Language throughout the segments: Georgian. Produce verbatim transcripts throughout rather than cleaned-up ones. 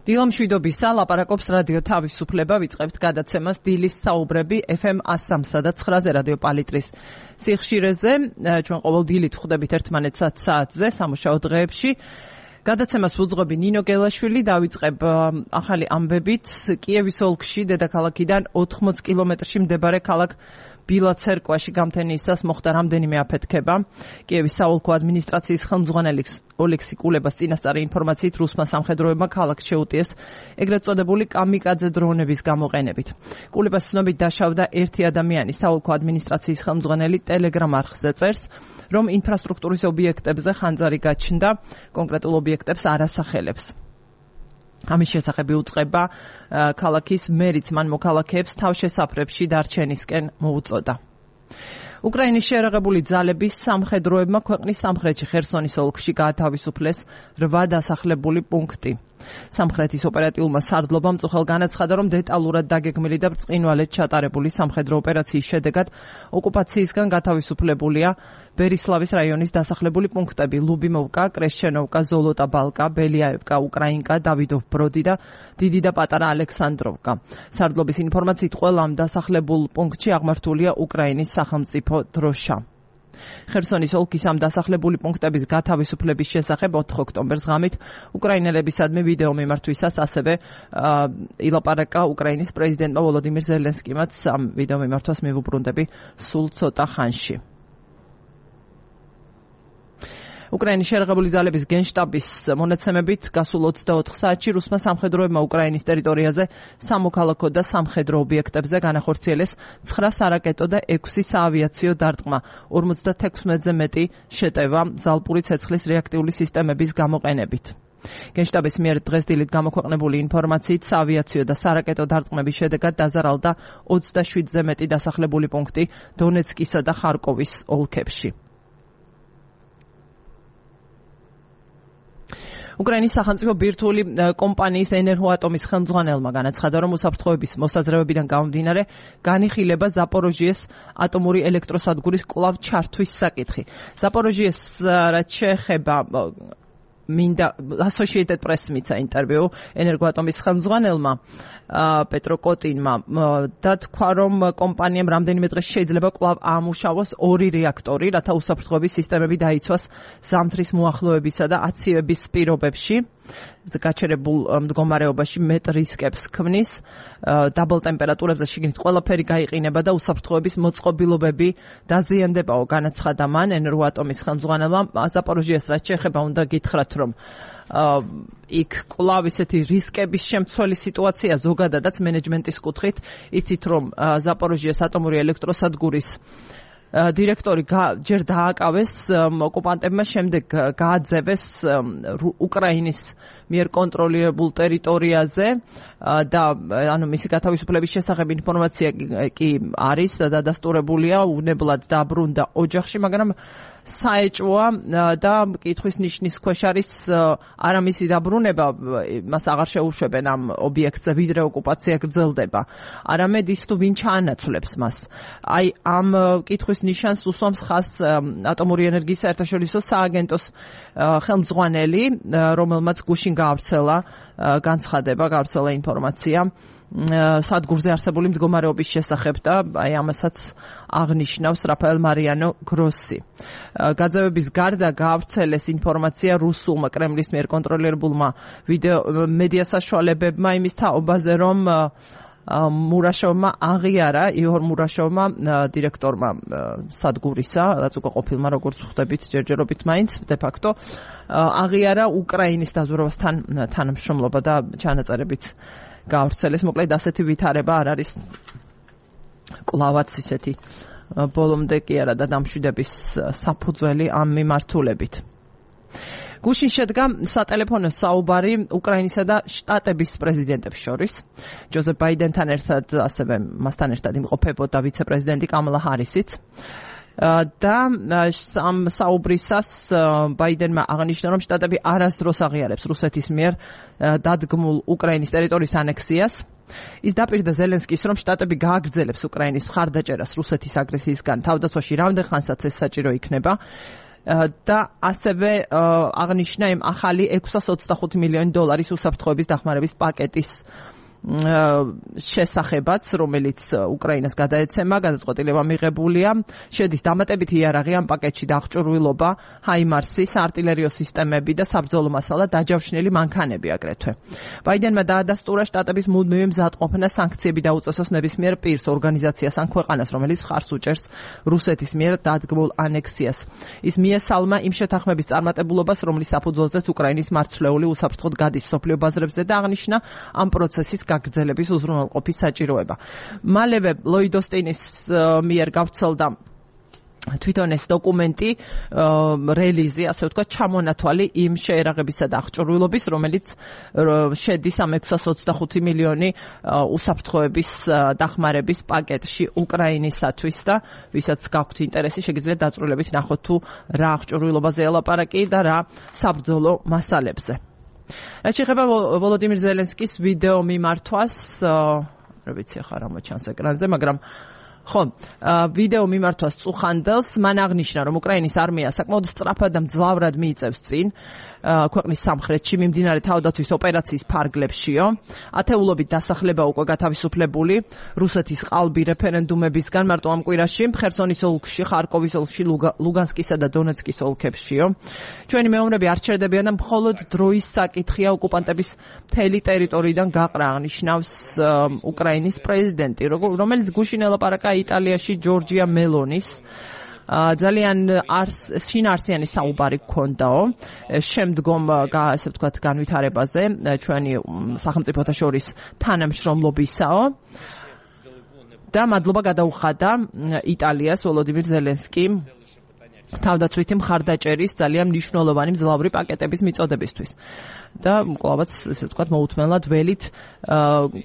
დილამშვიდობისა, ლაპარაკობს რადიო თავისუფლება, ვიწყებთ გადაცემას დილის საუბრები ეფ ემ ასამსა და ცხრაზე რადიო პალიტრის სიხშირეზე. ჩვენ ყოველ დილით ვხვდებით ერთმანეთს ათ საათზე სამუშაო დღეებში. გადაცემას ვუძღვები ნინო გელაშვილი, დავიწყებ ახალი ამბებით. კიევის ოლქში, დედაქალაქიდან ოთხმოც კილომეტრში მდებარე ქალაქ ბილა-ცერკვაში გამთენიისას მოხდა რამდენიმე აფეთქება. კიევის საოლქო ადმინისტრაციის ხელმძღვანელი ოლექსი კულებას წინასწარი ინფორმაციით რუსმა სამხედროებმა ქალაქს შეუტიეს ეგრეთ წოდებული კამიკაძე დრონების გამოყენებით. კულებას ცნობით დაშავდა ერთი ადამიანი. საოლქო ადმინისტრაციის ხელმძღვანელი ტელეგრამ არხზე წერს, რომ ინფრასტრუქტურის ობიექტებზე ხანძარი გაჩნდა, კონკრეტულ ობიექტებს არ ასახელებს. ამის შესახებ უწყება ქალაქის მერიც მან მოქალაქეებს თავშესაფრებში დარჩენისკენ მოუწოდა. უკრაინის შეერაღებული ძალების სამხედროებმა ქვეყნის სამხრეთში ხერსონის ოლქში გაათავისუფლეს რვა დასახლებული პუნქტი. სამხრეთის ოპერატიულმა სარდლობამ წუხელ განაცხადა, რომ დეტალურად დაგეგმილი და ბრწყინვალედ ჩატარებული სამხედრო ოპერაციის შედეგად ოკუპაციისგან გათავისუფლებულია ბერისლავის რაიონის დასახლებული პუნქტები: ლუბიმოვკა, კრეშჩენოვკა, ზოლოტა ბალკა, ბელიაევკა, უკრაინკა, დავიდოვ ბროდი და დიდი და პატარა ალექსანდროვკა. სარდლობის ინფორმაციით ყველა ამ დასახლებულ პუნქტში აღმართულია უკრაინის სახელმწიფო დროშა. ხერსონის ოლქის ამ დასახლებული პუნქტების გათავისუფლების შესახებ ოთხ ოქტომბერს ღამით უკრაინელებისადმი ვიდეო მიმართვისას ასევე ილაპარაკა უკრაინის პრეზიდენტმა ვოლოდიმირ ზელენსკიმაც ამ ვიდეო მიმართვას მივუბრუნდები სულ ცოტა ხანში. უკრაინის შეერაღებული ძალების გენშტაბის მონაცემებით გასულ ოცდაოთხ საათში რუსმა სამხედროებმა უკრაინის ტერიტორიაზე სამოქალაქო და სამხედრო ობიექტებზე განახორციელეს ცხრა სარაკეტო და ექვსი საავიაციო დარტყმა, ორმოცდათექვსმეტზე მეტი შეტევა ზალპური ცეცხლის რეაქტიული სისტემების გამოყენებით. გენშტაბის მიერ დღეს დილით გამოქვეყნებული ინფორმაციით საავიაციო და სარაკეტო დარტყმების შედეგად დაზარალდა ოცდაშვიდზე მეტი დასახლებული პუნქტი დონეცკისა და ხარკოვის ოლქებში. უკრაინის სახელმწიფო ბირთვული კომპანიის ენერგოატომის ხელმძღვანელმა განაცხადა, რომ უსაფრთხოების მოსაზრებებიდან გამომდინარე განიხილება ზაპოროჟიეს ატომური ელექტროსადგურის კვლავ ჩართვის საკითხი. ზაპოროჟიეს რაც შეეხება მინდა Associated Press მიცა ინტერვიუ ენერგოატომის ხელმძღვანელმა პეტრო კოტინმა და თქვა, რომ კომპანიამ რამდენიმე დღეს შეიძლება კვლავ აამუშავოს ორი რეაქტორი, რათა უსაფრთხოების სისტემები დაიცვას ზამთრის მოახლოებისა და აციების პირობებში. გაჩერებულ მდგომარეობაში მეტ რისკებს ქმნის, დაბალ ტემპერატურებზე შიგნით ყველაფერი გაიყინება და უსაფრთხოების მოწყობილობები დაზიანდებაო, განაცხადა მან ენერგოატომის ხელმძღვანელმა. ზაპოროჟიეს რაც შეეხება უნდა გითხრათ, რომ იქ კვლავ ისეთი რისკების შემცველი სიტუაცია ზოგადადაც მენეჯმენტის კუთხით, იცით რომ ზაპოროჟიეს ატომური ელექტროსადგურის დირექტორი ჯერ დააკავეს ოკუპანტებმა, შემდეგ გააძევეს უკრაინის მიერ კონტროლირებულ ტერიტორიაზე და ანუ მისი გათავისუფლების შესახებ ინფორმაცია კი არის და დადასტურებულია, უვნებლად დაბრუნდა ოჯახში, მაგრამ საეჭვოა და კითხვის ნიშნის ქვეშ არის არა მისი დაბრუნება, მას აღარ შეუშვებენ ამ ობიექტზე, ვიდრე ოკუპაცია გრძელდება, არამედ ის თუ ვინ ჩაანაცვლებს მას. აი ამ კითხვის ნიშანს უსვამს ხაზს ატომური ენერგიის საერთაშორისო სააგენტოს ხელმძღვანელი, რომელმაც გუშინ გაავრცელა განცხადება, გაავრცელა ინფორმაცია სადგურზე არსებული მდგომარეობის შესახებ და აი ამასაც აღნიშნავს რაფაელ მარიანო გროსი. გაძევების გარდა გაავრცელეს ინფორმაცია რუსულმა კრემლის მიერ კონტროლირებულმა ვიდეო მედია საშუალებებმა იმის თაობაზე, რომ მურაშოვმა აღიარა, იოჰორ მურაშოვმა, დირექტორმა სადგურისა, რაც უკვე ყოფილმა როგორც ხვდებით ჯერჯერობით მაინც de facto აღიარა უკრაინის დაზვერვასთან თანამშრომლობა და ჩანაწერებიც გაავრცელეს. მოკლედ ასეთი ვითარება არ არის კვლავაც ისეთი ბოლომდე კი არა და დამშვიდების საფუძველი ამ მიმართულებით. გუშინ შედგა სატელეფონო საუბარი უკრაინისა და შტატების პრეზიდენტებს შორის. ჯოზეფ ბაიდენთან ერთად, ასევე მასთან ერთად იმყოფებოდა ვიცე-პრეზიდენტი კამალა ჰარისიც. და ამ საუბრისას ბაიდენმა აღნიშნა, რომ შტატები არასდროს აღიარებს რუსეთის მიერ დადგმულ უკრაინის ტერიტორიის ანექსიას. ის დაპირდა ზელენსკის, რომ შტატები გააგრძელებს უკრაინის მხარდაჭერას რუსეთის აგრესიისგან თავდაცვაში რამდენ ხანსაც ეს საჭირო იქნება. და ასევე აღნიშნა იმ ახალი ექვსას ოცდახუთი მილიონი დოლარის უსაფრთხოების დახმარების პაკეტის შესახებაც, რომელიც უკრაინას გადაეცემა, გადაწყვეტილება მიღებულია. შედის დამატებითი იარაღი ამ პაკეტში დაღჭურვილობა, ჰაიმარსის, არტილერიო სისტემები და საბრძოლო მასალა, დაჯავშნილი მანქანები აგრეთვე. ბაიდენმა დაადასტურა შტატების მუდმივი მზადყოფნა სანქციები დაუწესოს ნებისმიერ პირს, ორგანიზაციას ან ქვეყანას, რომელიც მხარს უჭერს რუსეთის მიერ დადგმულ ანექსიას. ის მიესალმა იმ შეთანხმების წარმატებულობას, რომლის საფუძველზეც უკრაინის მარცვლეული უსაფრთხოდ გადის მსოფლიო ბაზრებზე და აღნიშნა ამ პროცესის გაგრძელების უზრუნველყოფის საჭიროება. მალევე ლოიდ ოსტინის მიერ გავრცელდა თვითონ ეს დოკუმენტი, რელიზი, ასე ვთქვათ, ჩამონათვალი იმ შეერაღებისა და აღჭურვილობის, რომელიც შედის ამ ექვსას ოცდახუთი მილიონი უსაფრთხოების დახმარების პაკეტში უკრაინისათვის და ვისაც გაქვთ ინტერესი, შეგიძლიათ დაწვრილებით ნახოთ თუ რა აღჭურვილობაზე ელაპარაკი და რა საბრძოლო მასალებზე. რაც შეეხება ვოლოდიმირ ზელენსკის ვიდეო მიმართვას, რა ვიცი ხარ რა მოჩანს ეკრანზე, მაგრამ ხო, ვიდეო მიმართვას წუხანდელს მან აღნიშნა, რომ უკრაინის არმია საკმაოდ სწრაფად და მძლავრად მიიწევს წინ ქვეყნის სამხრეთში მიმდინარე თავდაცვის ოპერაციის ფარგლებშიო. ათეულობით დასახლება უკვე გათავისუფლებული რუსეთის ყალბი რეფერენდუმებისგან მარტო ამ კვირაში ხერსონის ოლქში, ხარკოვის ოლქში, ლუგანსკისა და დონეცკის ოლქებშიო. ჩვენი მეომრები არ ჩერდებიან და მხოლოდ დროის საკითხია ოკუპანტების მთელი ტერიტორიიდან გაყრა, აღნიშნავს უკრაინის პრეზიდენტი, რომელიც გუშინ ელაპარაკა იტალიაში ჯორჯია მელონის ძალიან შინაარსიანი საუბარი გქონდაო შემდგომ ასე ვთქვათ განვითარებაზე ჩვენი სახელმწიფოთა შორის თანამშრომლობისაო და მადლობა გადაუხადა იტალიას ვოლოდიმირ ზელენსკიმ თავდაცვითი მხარდაჭერის ძალიან მნიშვნელოვანი მძლავრი პაკეტების მიწოდებისთვის. და კლავაც ესე ვთქვათ მოუთმენლად ველით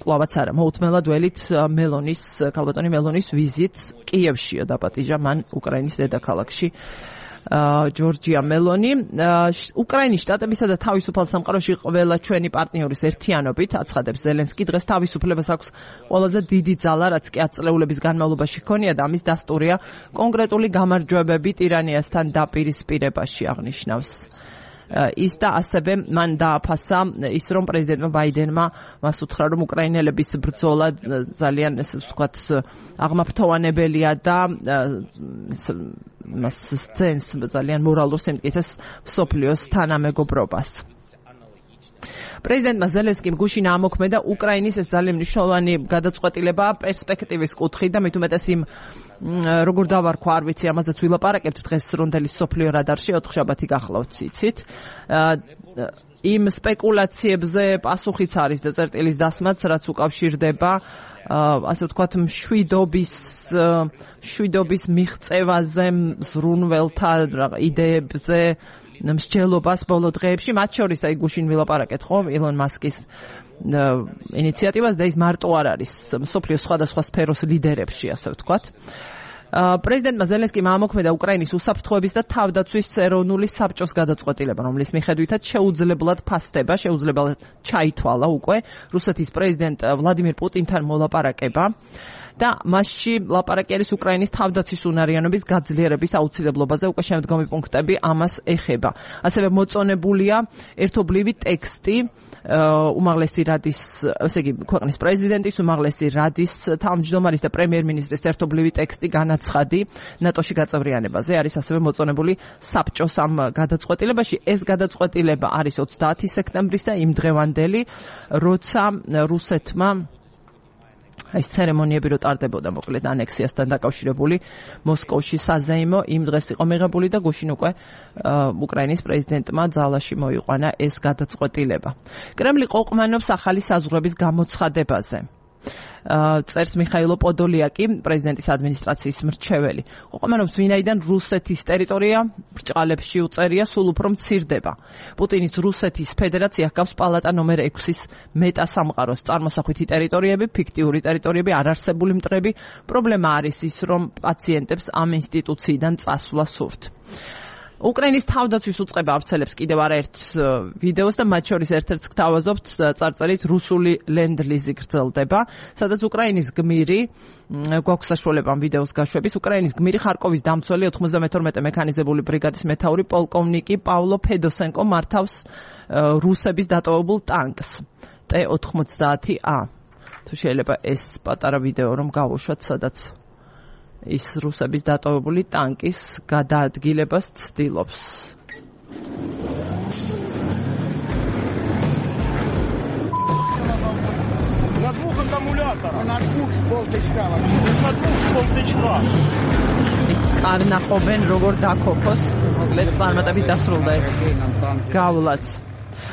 კლავაც არა მოუთმენლად ველით მელონის ქალბატონი მელონის ვიზიტს კიევშიო დაპატიჟა მან უკრაინის დედაქალაქში ჯორჯია მელონი უკრაინის შტატებისა და თავისუფალ სამყაროში ყველა ჩვენი პარტნიორის ერთიანობით აცხადებს ზელენსკი დღეს თავისუფლებას აქვს ყველაზე დიდი ძალა რაც კი ათ წლეულების განმავლობაში ჰქონია და ამის დასტურია კონკრეტული გამარჯვებები ტირანიასთან დაპირისპირებაში აღნიშნავს ის და ასევე მან დააფასა ის რომ პრეზიდენტმა ბაიდენმა მას უთხრა რომ უკრაინელების ბრძოლა ძალიან ესე ვთქვათ აღმაფრთოვანებელია და მას სცენს ძალიან მორალურ სიმტკიცეს მსოფლიოს თანამეგობრობას. პრეზიდენტმა ზელენსკიმ გუშინ ამოქმედა უკრაინის ეს ძალიან მნიშვნელოვანი გადაწყვეტილება პერსპექტივის კუთხით და მით უმეტეს იმ როგორ დავარქვა არ ვიცი ამაზეც ვილაპარაკებთ დღეს რონდელის სოფლიო რადარში ოთხშაბათი გახლავთ ციცით იმ სპეკულაციებზე პასუხიც არის და წერტილის დასმაც რაც უკავშირდება ასე ვთქვათ მშვიდობის მშვიდობის მიღწევაზე ზრუნველთა იდეებზე მსჯელობას ბოლო დღეებში მათ შორის აი გუშინ ვილაპარაკეთ ხო ილონ მასკის ინიციატივას და ის მარტო არ არის მსოფლიოს სხვადასხვა სფეროს ლიდერებში ასე ვთქვათ პრეზიდენტმა ზელენსკიმ ამოქმედა უკრაინის უსაფრთხოების და თავდაცვის ეროვნული საბჭოს გადაწყვეტილება რომლის მიხედვითაც შეუძლებლად ფასდება შეუძლებლად ჩაითვალა უკვე რუსეთის პრეზიდენტ ვლადიმირ პუტინთან მოლაპარაკება და მასში ლაპარაკი არის უკრაინის თავდაცვის უნარიანობის გაძლიერების აუცილებლობაზე უკვე შემდგომი პუნქტები ამას ეხება. ასევე მოწონებულია ერთობლივი ტექსტი უმაღლესი რადის, ესე იგი, ქვეყნის პრეზიდენტის, უმაღლესი რადის თავმჯდომარის და პრემიერ-მინისტრის ერთობლივი ტექსტი განაცხადი ნატოში გაწევრიანებაზე. არის ასევე მოწონებული საბჭოს ამ გადაწყვეტილებაში. ეს გადაწყვეტილება არის ოცდაათი სექტემბრისა იმ დღევანდელი, როცა რუსეთმა ეს ცერემონიები რო ტარდებოდა მოკლედ ანექსიასთან დაკავშირებული მოსკოვში საზეიმო იმ დღეს იყო მიღებული და გუშინ უკვე უკრაინის პრეზიდენტმა ძალაში მოიყვანა ეს გადაწყვეტილება. კრემლი ყოყმანობს ახალი საზღვრების გამოცხადებაზე. წერს მიხაილო პოდოლიაკი, პრეზიდენტის ადმინისტრაციის მრჩეველი. ყოყმანობს ვინაიდან რუსეთის ტერიტორია ბრჭყალებში უწერია სულ უფრო მცირდება. პუტინის რუსეთის ფედერაცია ჰგავს პალატა ნომერ ექვსის მეტასამყაროს წარმოსახვითი ტერიტორიები, ფიქტიური ტერიტორიები, არარსებული მტრები. პრობლემა არის ის, რომ პაციენტებს ამ ინსტიტუციიდან წასვლა სურთ. უკრაინის თავდაცვის უწყება ავრცელებს კიდევ არაერთ ვიდეოს და მათ შორის ერთ-ერთს გთავაზობთ წარწერით რუსული ლენდ-ლიზი გრძელდება, სადაც უკრაინის გმირი გვაქვს საშუალება ამ ვიდეოს გაშვების. უკრაინის გმირი ხარკოვის დამცველი ოთხმოცდამეთორმეტე მექანიზებული ბრიგადის მეთაური პოლკოვნიკი პავლო ფედოსენკო მართავს რუსების დატოვებულ ტანკს ტე ოთხმოცდაათი ა. თუ შეიძლება ეს პატარა ვიდეო რომ გავუშვათ, სადაც ის რუსების დატოვებული ტანკის გადაადგილებას ცდილობს. На двух аккумуляторах. На двух с полтычка. На двух с полтычка. კარნახობენ როგორ დაქოფოს, მოკლედ წარმატებით დასრულდა ეს გავლაც.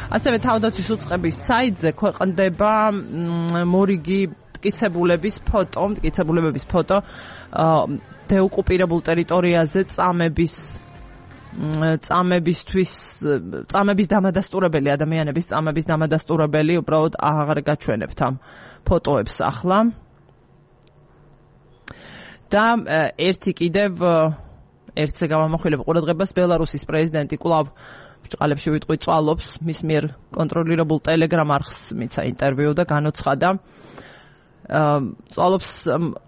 ასევე თავდაცვის უწყების საიტზე ქვეყნდება მორიგი მტკიცებულების ფოტო, მტკიცებულებების ფოტო დეოკუპირებულ ტერიტორიაზე წამების წამებისთვის წამების დამადასტურებელი ადამიანების წამების დამადასტურებელი უბრალოდ აღარ გაჩვენებთ ამ ფოტოებს ახლა. და ერთი კიდევ ერთზე გავამახვილებ ყურადღებას ბელარუსის პრეზიდენტი კვლავ ბრჭყალებში ვიტყვი წვალობს მის მიერ კონტროლირებულ ტელეგრამ არხს მიცა ინტერვიუ და განოცხადა წვალობს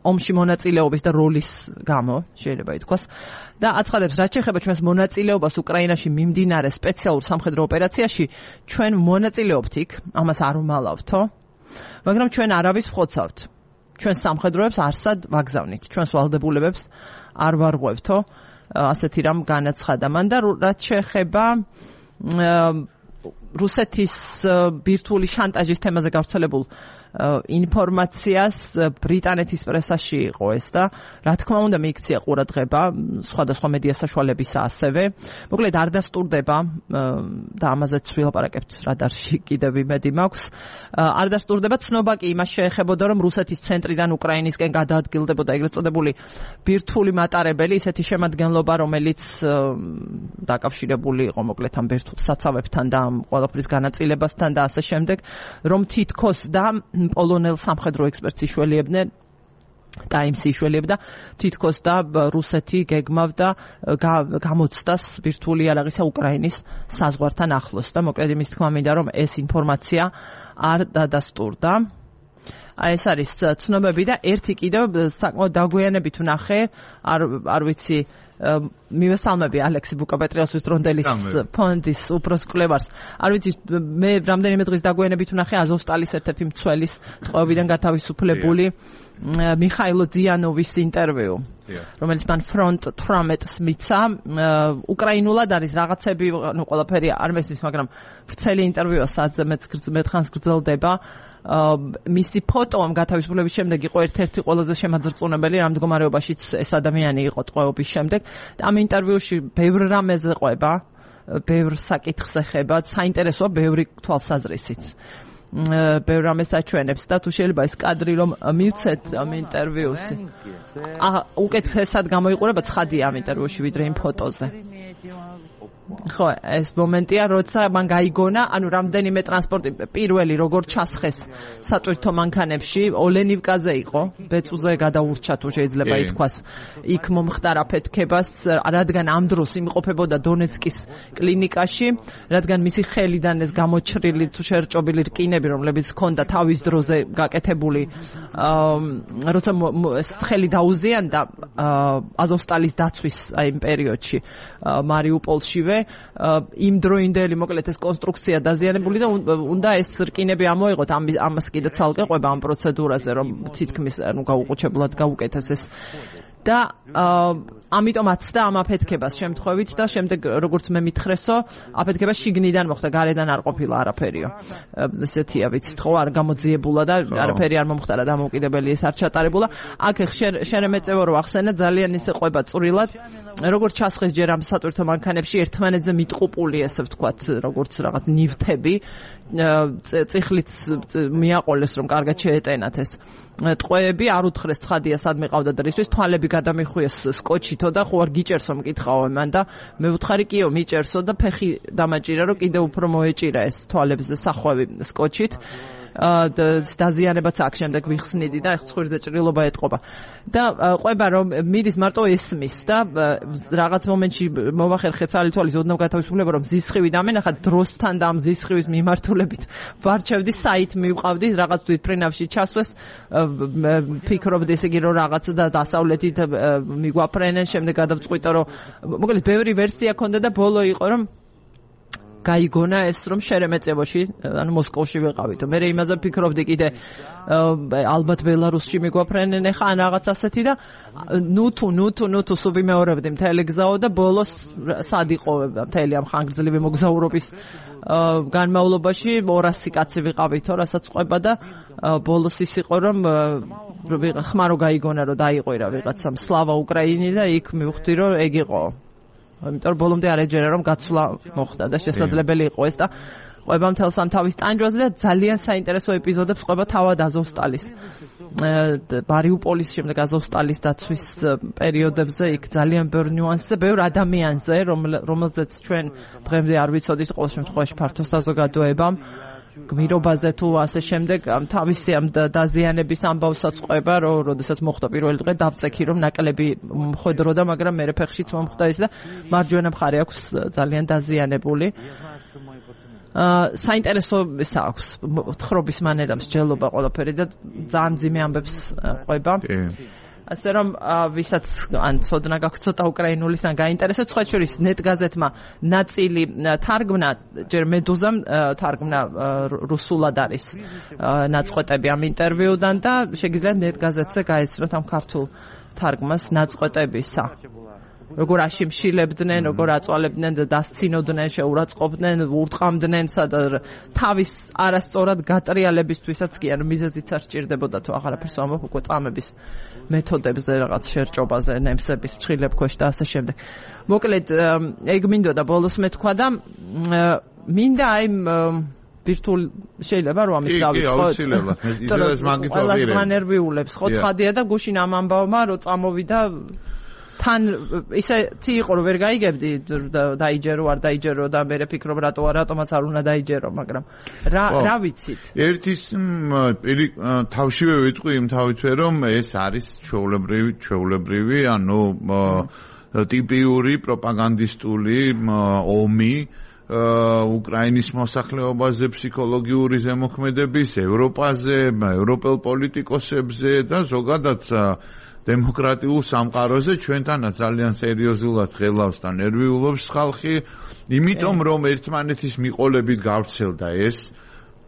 ომში მონაწილეობის და როლის გამო შეიძლება ითქვას და აცხადებს რაც შეეხება ჩვენს მონაწილეობას უკრაინაში მიმდინარე სპეციალურ სამხედრო ოპერაციაში ჩვენ მონაწილეობთ იქ ამას არ ვმალავთო მაგრამ ჩვენ არავის ვხოცავთ ჩვენ სამხედროებს არსად ვაგზავნით ჩვენს ვალდებულებებს არ ვარღვევთო ასეთი რამ განაცხადა მან და რაც შეეხება რუსეთის ბირთვული შანტაჟის თემაზე გავრცელებულ ინფორმაციას ბრიტანეთის პრესაში იყო ეს და რა თქმა უნდა მიიქცია ყურადღება სხვადასხვა მედია საშუალებისა ასევე მოკლედ არ დასტურდება და ამაზეც ვილაპარაკებთ რადარში კიდევ იმედი მაქვს არ დასტურდება ცნობა კი იმას შეეხებოდა რომ რუსეთის ცენტრიდან უკრაინისკენ გადაადგილდებოდა ეგრეთ წოდებული ბირთვული მატარებელი ისეთი შემადგენლობა რომელიც დაკავშირებული იყო მოკლედ ამ ბირთვულ საცავებთან და ამ ყველაფრის განაწილებასთან და ასე შემდეგ რომ თითქოს და პოლონელ სამხედრო ექსპერტს იშველიებდნენ ტაიმსი იშველიებდა თითქოს და რუსეთი გეგმავდა გამოცდას ბირთვული იარაღისა უკრაინის საზღვართან ახლოს და მოკლედ იმის თქმა მინდა რომ ეს ინფორმაცია არ დადასტურდა აი ეს არის ცნობები და ერთი კიდევ საკმაოდ დაგვიანებით ვნახე არ არ ვიცი მივესალმები ალექსი ბუკაპეტრიოსის ტრონდელის ფონდის უფროს კვლევარს არ ვიცი მე რამდენიმე დღის დაგვიანებით ვნახე აზოვსტალის ერთ-ერთი მცველის ტყვეობიდან გათავისუფლებული მიხაილო ძიანოვის ინტერვიუ რომელიც მან ფრონტ თვრამეტს მიცა უკრაინულად არის რაღაცები ნუ ყველაფერი არ მესმის მაგრამ ვრცელი ინტერვიუა სადაც მეთხანს გრძელდება მისი ფოტო ამ გათავისუფლების შემდეგ იყო ერთ-ერთი ყველაზე შემაძრწუნებელი რამ მდგომარეობაშიც ეს ადამიანი იყო ტყვეობის შემდეგ და ამ ინტერვიუში ბევრ რამეზე ყვება ბევრ საკითხს ეხება საინტერესოა ბევრი თვალსაზრისით ბევრ რამეს აჩვენებს და თუ შეიძლება ეს კადრი რომ მივცეთ ამ ინტერვიუს უკეთესად გამოიყურება ცხადია ამ ინტერვიუში ვიდრე იმ ფოტოზე ხო ეს მომენტია როცა მან გაიგონა ანუ რამდენიმე ტრანსპორტი პირველი როგორ ჩასხეს სატვირთო მანქანებში ოლენივკაზე იყო ბეწუზე გადაურჩა თუ შეიძლება ითქვას იქ მომხდარ აფეთქებას რადგან ამ დროს იმყოფებოდა დონეცკის კლინიკაში რადგან მისი ხელიდან ეს გამოჩრილი თუ შერჭობილი რკინები რომლებიც ჰქონდა თავის დროზე გაკეთებული როცა ხელი დაუზიანდა აზოვსტალის დაცვის აი იმ პერიოდში მარიუპოლშივე იმ დროინდელი მოკლედ ეს კონსტრუქცია დაზიანებული და უნდა ეს რკინები ამოიღოთ ამას კიდე ცალკე ყვება ამ პროცედურაზე რომ თითქმის ანუ გაუყუჩებლად გაუკეთეს და ამიტომაც და ამ აფეთქებას შემთხვევით და შემდეგ როგორც მე მითხრესო აფეთქება შიგნიდან მოხდა გარედან არ ყოფილა არაფერიო ესეთია ვიცით ხო არ გამოძიებულა და არაფერი არ მომხდარა დამოუკიდებელი ეს არ ჩატარებულა აქ შერემეწევო რო ახსენა ძალიან ისე ყვება წვრილად როგორც ჩასხეს ჯერ ამ სატვირთო მანქანებში ერთმანეთზე მიტყუპული ესე ვთქვათ როგორც რაღაც ნივთები წიხლიც მიაყოლეს რომ კარგად შეეტენათ ეს ტყვეები არ უთხრეს ცხადია სად მიყავდა და რისთვის თვალები გადამიხვიეს სკოჩითო და ხო არ გიჭერსო მკითხავ მან და მე ვუთხარი კიო მიჭერსო და ფეხი დამაჭირა რომ კიდე უფრო მოეჭირა ეს თვალებზე სახვევი სკოჩით დაზიანებაც აქ შემდეგ ვიხსნიდი და ეხ ცხვირზე ჭრილობა ეტყობა. და ყვება რომ მიდის მარტო ესმის და რაღაც მომენტში მოვახერხე ცალი თვალის ოდნავ გათავისუფლება რომ ზისხივი დამენახა დროსთან და ამ ზისხივის მიმართულებით ვარჩევდი საით მივყავდი რაღაც თვითფრინავში ჩასვეს ფიქრობდი ესე იგი რომ რაღაც და დასავლეთით მიგვაფრენენ შემდეგ გადავწყვიტე რომ მოკლედ ბევრი ვერსია ქონდა და ბოლო იყო რომ გაიგონა ეს რომ შერემეტევოში ანუ მოსკოვში ვიყავით. მე იმაზე ფიქრობდი კიდე ალბათ ბელარუსში მიგვაფრენენ ხა ან რაღაც ასეთი და ნუ თუ ნუ თუ ნუ თუ სულ ვიმეორებდი მთელი გზაო და ბოლოს სად იყო მთელი ამ ხანგრძლივი მოგზაურობის განმავლობაში ორასი კაცი ვიყავითო რასაც ყვება და ბოლოს ის იყო რომ ხმარო გაიგონა რომ დაიყვირა ვიღაცამ სლავა უკრაინი და იქ მივხვდი რომ ეგ იყო. იმიტომ რომ ბოლომდე არ ეჯერა რომ გაცვლა მოხდა და შესაძლებელი იყო ეს და ყვება მთელს ამ თავის ტანჯვაზე და ძალიან საინტერესო ეპიზოდებს ყვება თავად აზოვსტალის მარიუპოლის შემდეგ აზოვსტალის დაცვის პერიოდებზე იქ ძალიან ბევრ ნიუანსზე ბევრ ადამიანზე რომელზეც ჩვენ დღემდე არ ვიცოდით ყოველ შემთხვევაში ფართო საზოგადოებამ გმირობაზე თუ ასე შემდეგ თავისი ამ დაზიანების ამბავსაც ყვება რომ როდესაც მოხდა პირველი დღე დავწექი რომ ნაკლები მხედროდა მაგრამ მე ფეხშიც მომხდა ის და მარჯვენა მხარე აქვს ძალიან დაზიანებული საინტერესო ის აქვს თხრობის მანერა მსჯელობა ყველაფერი და ძალიან ძიმე ამბებს ყვება ასე რომ ვისაც ან ცოდნა გაქვთ ცოტა უკრაინულის ან გაინტერესებს სხვა შორის ნეტგაზეთმა ნაწილი თარგმნა ჯერ მედუზამ თარგმნა რუსულად არის ნაწყვეტები ამ ინტერვიუდან და შეგიძლიათ ნეტგაზეთზე გაეცნოთ ამ ქართულ თარგმას ნაწყვეტებისა როგორ აშიმშილებდნენ, როგორ აწვალებდნენ და დასცინოდნენ, შეურაცხყოფდნენ, ურტყამდნენ, სადაც თავის არასწორად გატრიალებისთვისაც კი არ მიზეზიც არ სჭირდებოდა თუ აღარაფერს ამბობ უკვე წამების მეთოდებზე, რაღაც შერჭობაზე, ნემსების ფრჩხილებ ქვეშ და ასე შემდეგ. მოკლედ, ეგ მინდოდა ბოლოს მეთქვა და მინდა აი ბირთულ შეიძლება რომ ამით დავიწყოთ. კი, აუცილებლად. ისედაც მაგით ვაპირებ. ყველა მანერვიულებს, ხო ცხადია და გუშინ ამ ამბავმა რომ წამოვიდა თან ისეთი იყო რომ ვერ გაიგებდი დაიჯერო არ დაიჯერო და მე ფიქრობ რატო რატომაც არ უნდა დაიჯერო მაგრამ რა რა ვიცით ერთის თავშივე ვიტყვი იმ თავითვე რომ ეს არის ჩვეულებრივი ჩვეულებრივი ანუ ტიპიური პროპაგანდისტული ომი უკრაინის მოსახლეობაზე ფსიქოლოგიური ზემოქმედების ევროპაზე ევროპელ პოლიტიკოსებზე და ზოგადად დემოკრატიულ სამყაროზე ჩვენთანაც ძალიან სერიოზულად ღელავს და ნერვიულობს ხალხი, იმიტომ რომ ერთმანეთის მიყოლებით გავრცელდა ეს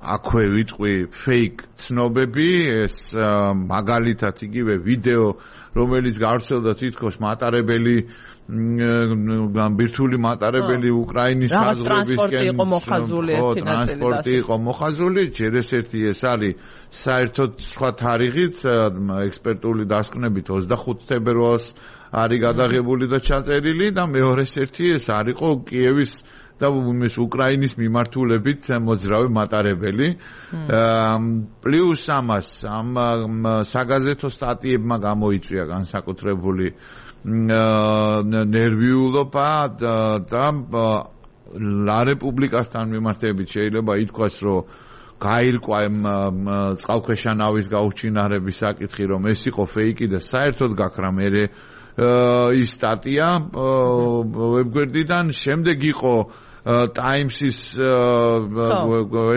აქვე ვიტყვი fake ცნობები, ეს მაგალითად იგივე ვიდეო, რომელიც გავრცელდა თითქოს მატარებელი ბირთვული მატარებელი უკრაინის საზღვრებისკენ ტრანსპორტი იყო მოხაზული, ჯერ ეს ერთი ეს არის საერთოდ სხვა თარიღით ექსპერტული დასკვნებით ოცდახუთი თებერვალს არის გადაღებული და ჩაწერილი და მეორეს ერთი ეს არისო კიევის და ეს უკრაინის მიმართულებით მოძრავი მატარებელი პლუს ამას ამ საგაზეთო სტატიებმა გამოიწვია განსაკუთრებული ნერვიულობა და ლა რესპუბლიკასთან მიმართებით შეიძლება ითქვას რომ გაირკვა წყალქვეშა ნავის გაუჩინარების საკითხი რომ ეს იყო ფეიკი და საერთოდ გაქრა მე ის სტატია ვებგვერდიდან შემდეგ იყო ტაიმსის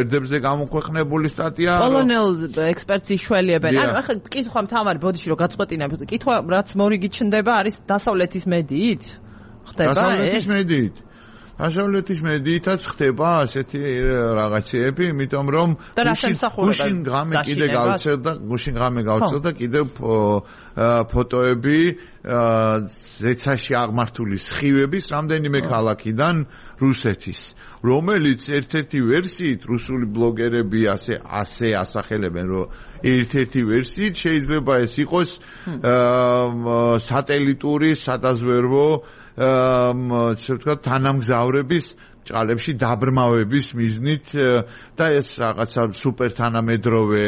ერთებზე გამოქვეყნებული სტატია პოლონელ ექსპერტს იშველიებენ. ანუ ახლა კითხვა მთავარი ბოდიში რომ გაწყვეტინებ. კითხვა რაც მორიგი ჩნდება არის დასავლეთის მედიით? ხდება ეს? დასავლეთის მედიით. დასავლეთის მედიითაც ხდება ასეთი რაღაცეები, იმიტომ რომ გუშინ ღამე კიდე გავცელდა, გუშინ ღამე გავცელდა კიდევ ფოტოები ზეცაში აღმართული სხივების რამდენიმე ქალაქიდან რუსეთის, რომელიც ერთ-ერთი ვერსიით რუსული ბლოგერები ასე ასე ასახელებენ, რომ ერთ-ერთი ვერსიით შეიძლება ეს იყოს სატელიტური სადაზვერვო ასე ვთქვათ თანამგზავრების ჭალებში დაბრმავების მიზნით და ეს რაღაცა სუპერ თანამედროვე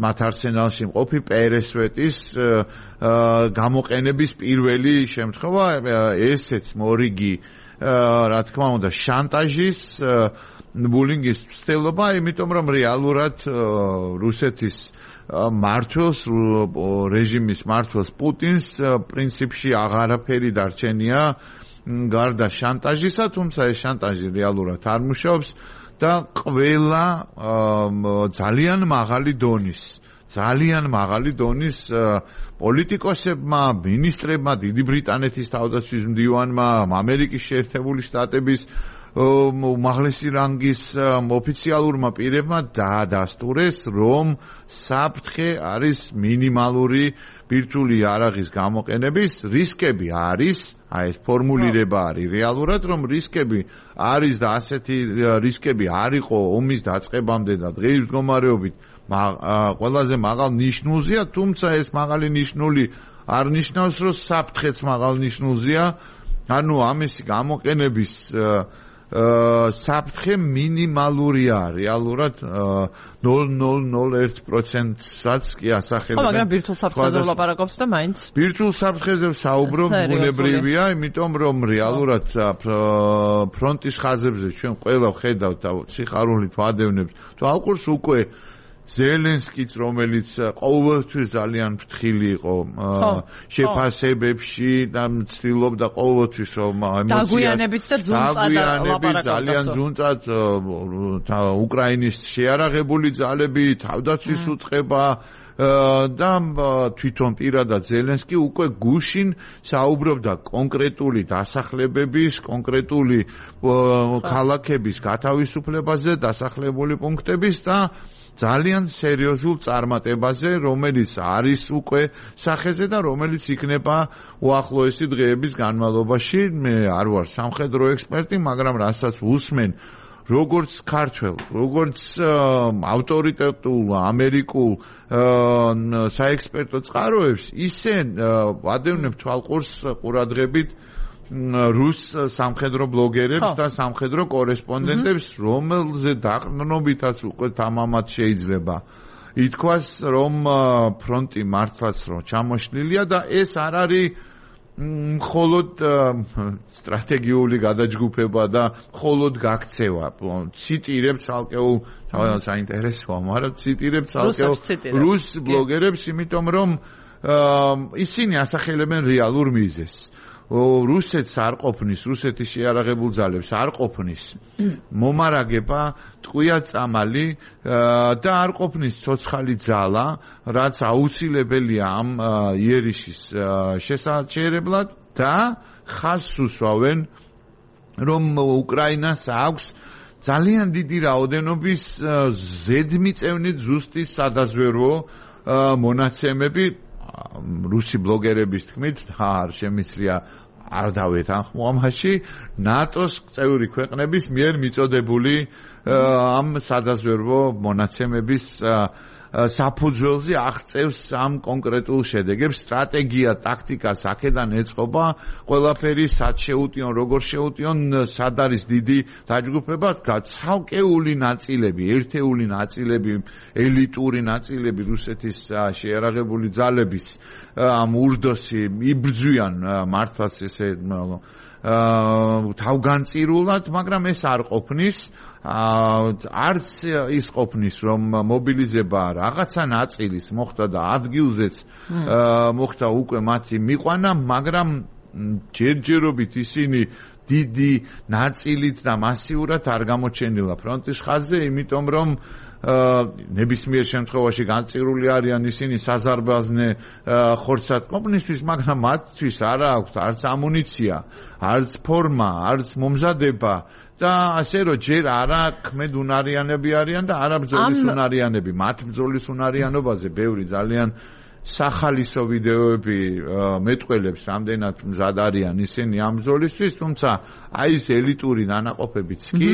მათ არსენალში მყოფი პერესვეტის გამოყენების პირველი შემთხვევა ესეც მორიგი რა თქმა უნდა შანტაჟის ბულინგის ცდილობა, იმიტომ რომ რეალურად რუსეთის მართვას რეჟიმის მართვას პუტინს პრინციპში აღარაფერი დარჩენია გარდა შანტაჟისა, თუმცა ეს შანტაჟი რეალურად არ მუშაობს და ყველა ძალიან მაღალი დონის ძალიან მაღალი დონის პოლიტიკოსებმა, მინისტრებმა, დიდი ბრიტანეთის თავდაცვის მდივანმა, ამერიკის შეერთებული შტატების უმაღლესი რანგის ოფიციალურმა პირებმა დაადასტურეს, რომ საფრთხე არის მინიმალური ბირთვული იარაღის გამოყენების რისკები არის, აი ეს ფორმულირება არის რეალურად, რომ რისკები არის და ასეთი რისკები არ იყო ომის დაწყებამდე და დღეის მდგომარეობით ყველაზე მაღალ ნიშნულზეა, თუმცა ეს მაღალი ნიშნული არ ნიშნავს, რომ საფრთხეც მაღალ ნიშნულზეა, ანუ ამისი გამოყენების საფრთხე მინიმალურია, რეალურად ნულ ნულ ნულ ერთ პროცენტსაც კი ასახელებენ. ხო, მაგრამ ბირთვულ საფრთხეზე ვლაპარაკობთ და მაინც. ბირთვულ საფრთხეზე ვსაუბრობ, ბუნებრივია, იმიტომ რომ რეალურად ფრონტის ხაზებზე ჩვენ ყველა ვხედავთ და სიხარულით ვადევნებთ. თუ ალყურს უკვე ზელენსკიც, რომელიც ყოველთვის ძალიან ფრთხილი იყო შეფასებებში და ცდილობდა ყოველთვის რომ ემოციას დაგვიანებით და ძუნწად ძალიან ძუნწად უკრაინის შეარაღებული ძალები, თავდაცვის უწყება და თვითონ პირადად ზელენსკი უკვე გუშინ საუბრობდა კონკრეტული დასახლებების, კონკრეტული ქალაქების გათავისუფლებაზე, დასახლებული პუნქტების და ძალიან სერიოზულ წარმატებაზე, რომელიც არის უკვე სახეზე და რომელიც იქნება უახლოესი დღეების განმავლობაში. მე არ ვარ სამხედრო ექსპერტი, მაგრამ რასაც ვუსმენ როგორც ქართველ, როგორც ავტორიტეტულ ამერიკულ საექსპერტო წყაროებს, ისე ვადევნებ თვალყურს ყურადღებით რუს სამხედრო ბლოგერებს და სამხედრო კორესპონდენტებს, რომელზე დაყრდნობითაც უკვე თამამად შეიძლება ითქვას, რომ ფრონტი მართლაც რომ ჩამოშლილია და ეს არ არის მხოლოდ სტრატეგიული გადაჯგუფება და მხოლოდ გაქცევა. ციტირებ ცალკეულ საინტერესოა, მაგრამ ციტირებ ცალკეულ რუს ბლოგერებს, იმიტომ რომ ისინი ასახელებენ რეალურ მიზეზს. რუსეთს არ ყოფნის, რუსეთის შეარაღებულ ძალებს არ ყოფნის მომარაგება, ტყვია წამალი და არ ყოფნის ცოცხალი ძალა, რაც აუცილებელია ამ იერიშის შესაჩერებლად და ხაზს უსვავენ, რომ უკრაინას აქვს ძალიან დიდი რაოდენობის ზედმიწევნით ზუსტი სადაზვერვო მონაცემები. რუსი ბლოგერების თქმით, არ შემიძლია არ დავეთ ამაში ნატოს წევრი ქვეყნების მიერ მიწოდებული ამ სადაზვერვო მონაცემების საფუძველზე აღწევს ამ კონკრეტულ შედეგებს. სტრატეგია, ტაქტიკა აქედან ეწყობა, ყველაფერი სად შეუტიონ, როგორ შეუტიონ, სად არის დიდი დაჯგუფება, ცალკეული ნაწილები, ერთეული ნაწილები, ელიტური ნაწილები რუსეთის შეიარაღებული ძალების ამ ურდოსი იბრძვიან მართლაც ესე თავგანწირულად, მაგრამ ეს არ ყოფნის. არც ის ყოფნის, რომ მობილიზება რაღაცა ნაწილის მოხდა და ადგილზეც მოხდა უკვე მათი მიყვანა, მაგრამ ჯერჯერობით ისინი დიდი ნაწილით და მასიურად არ გამოჩენილა ფრონტის ხაზზე, იმიტომ რომ ნებისმიერ შემთხვევაში განწირული არიან ისინი საზარბაზნე ხორცად ყოფნისთვის, მაგრამ მათთვის არ აქვთ არც ამუნიცია, არც ფორმა, არც მომზადება და ასე რომ ჯერ არა ქმედ უნარიანები არიან და არა ბრძოლის უნარიანები. მათ ბრძოლის უნარიანობაზე ბევრი ძალიან სახალისო ვიდეოები მეტყველებს, რამდენად მზად არიან ისინი ამ ბრძოლისთვის, თუმცა აი ეს ელიტური დანაყოფებიც კი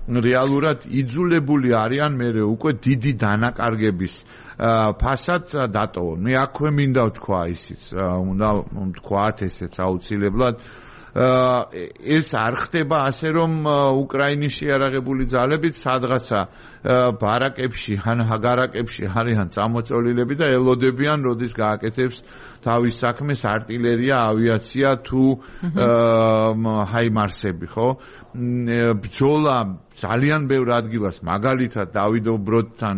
რეალურად იძულებული არიან მერე უკვე დიდი დანაკარგების ფასად დატოვონ. მე აქვე მინდა ვთქვა ისიც, უნდა ვთქვათ ესეც აუცილებლად, ეს არ ხდება ასე, რომ უკრაინის შეიარაღებული ძალებით სადღაცა ბარაკებში ან ჰაგარაკებში არიან წამოწოლილები და ელოდებიან, როდის გააკეთებს თავის საქმეს არტილერია, ავიაცია თუ ჰაიმარსები, ხო? ბრძოლა ძალიან ბევრ ადგილას მაგალითად დავიდ ბროდთან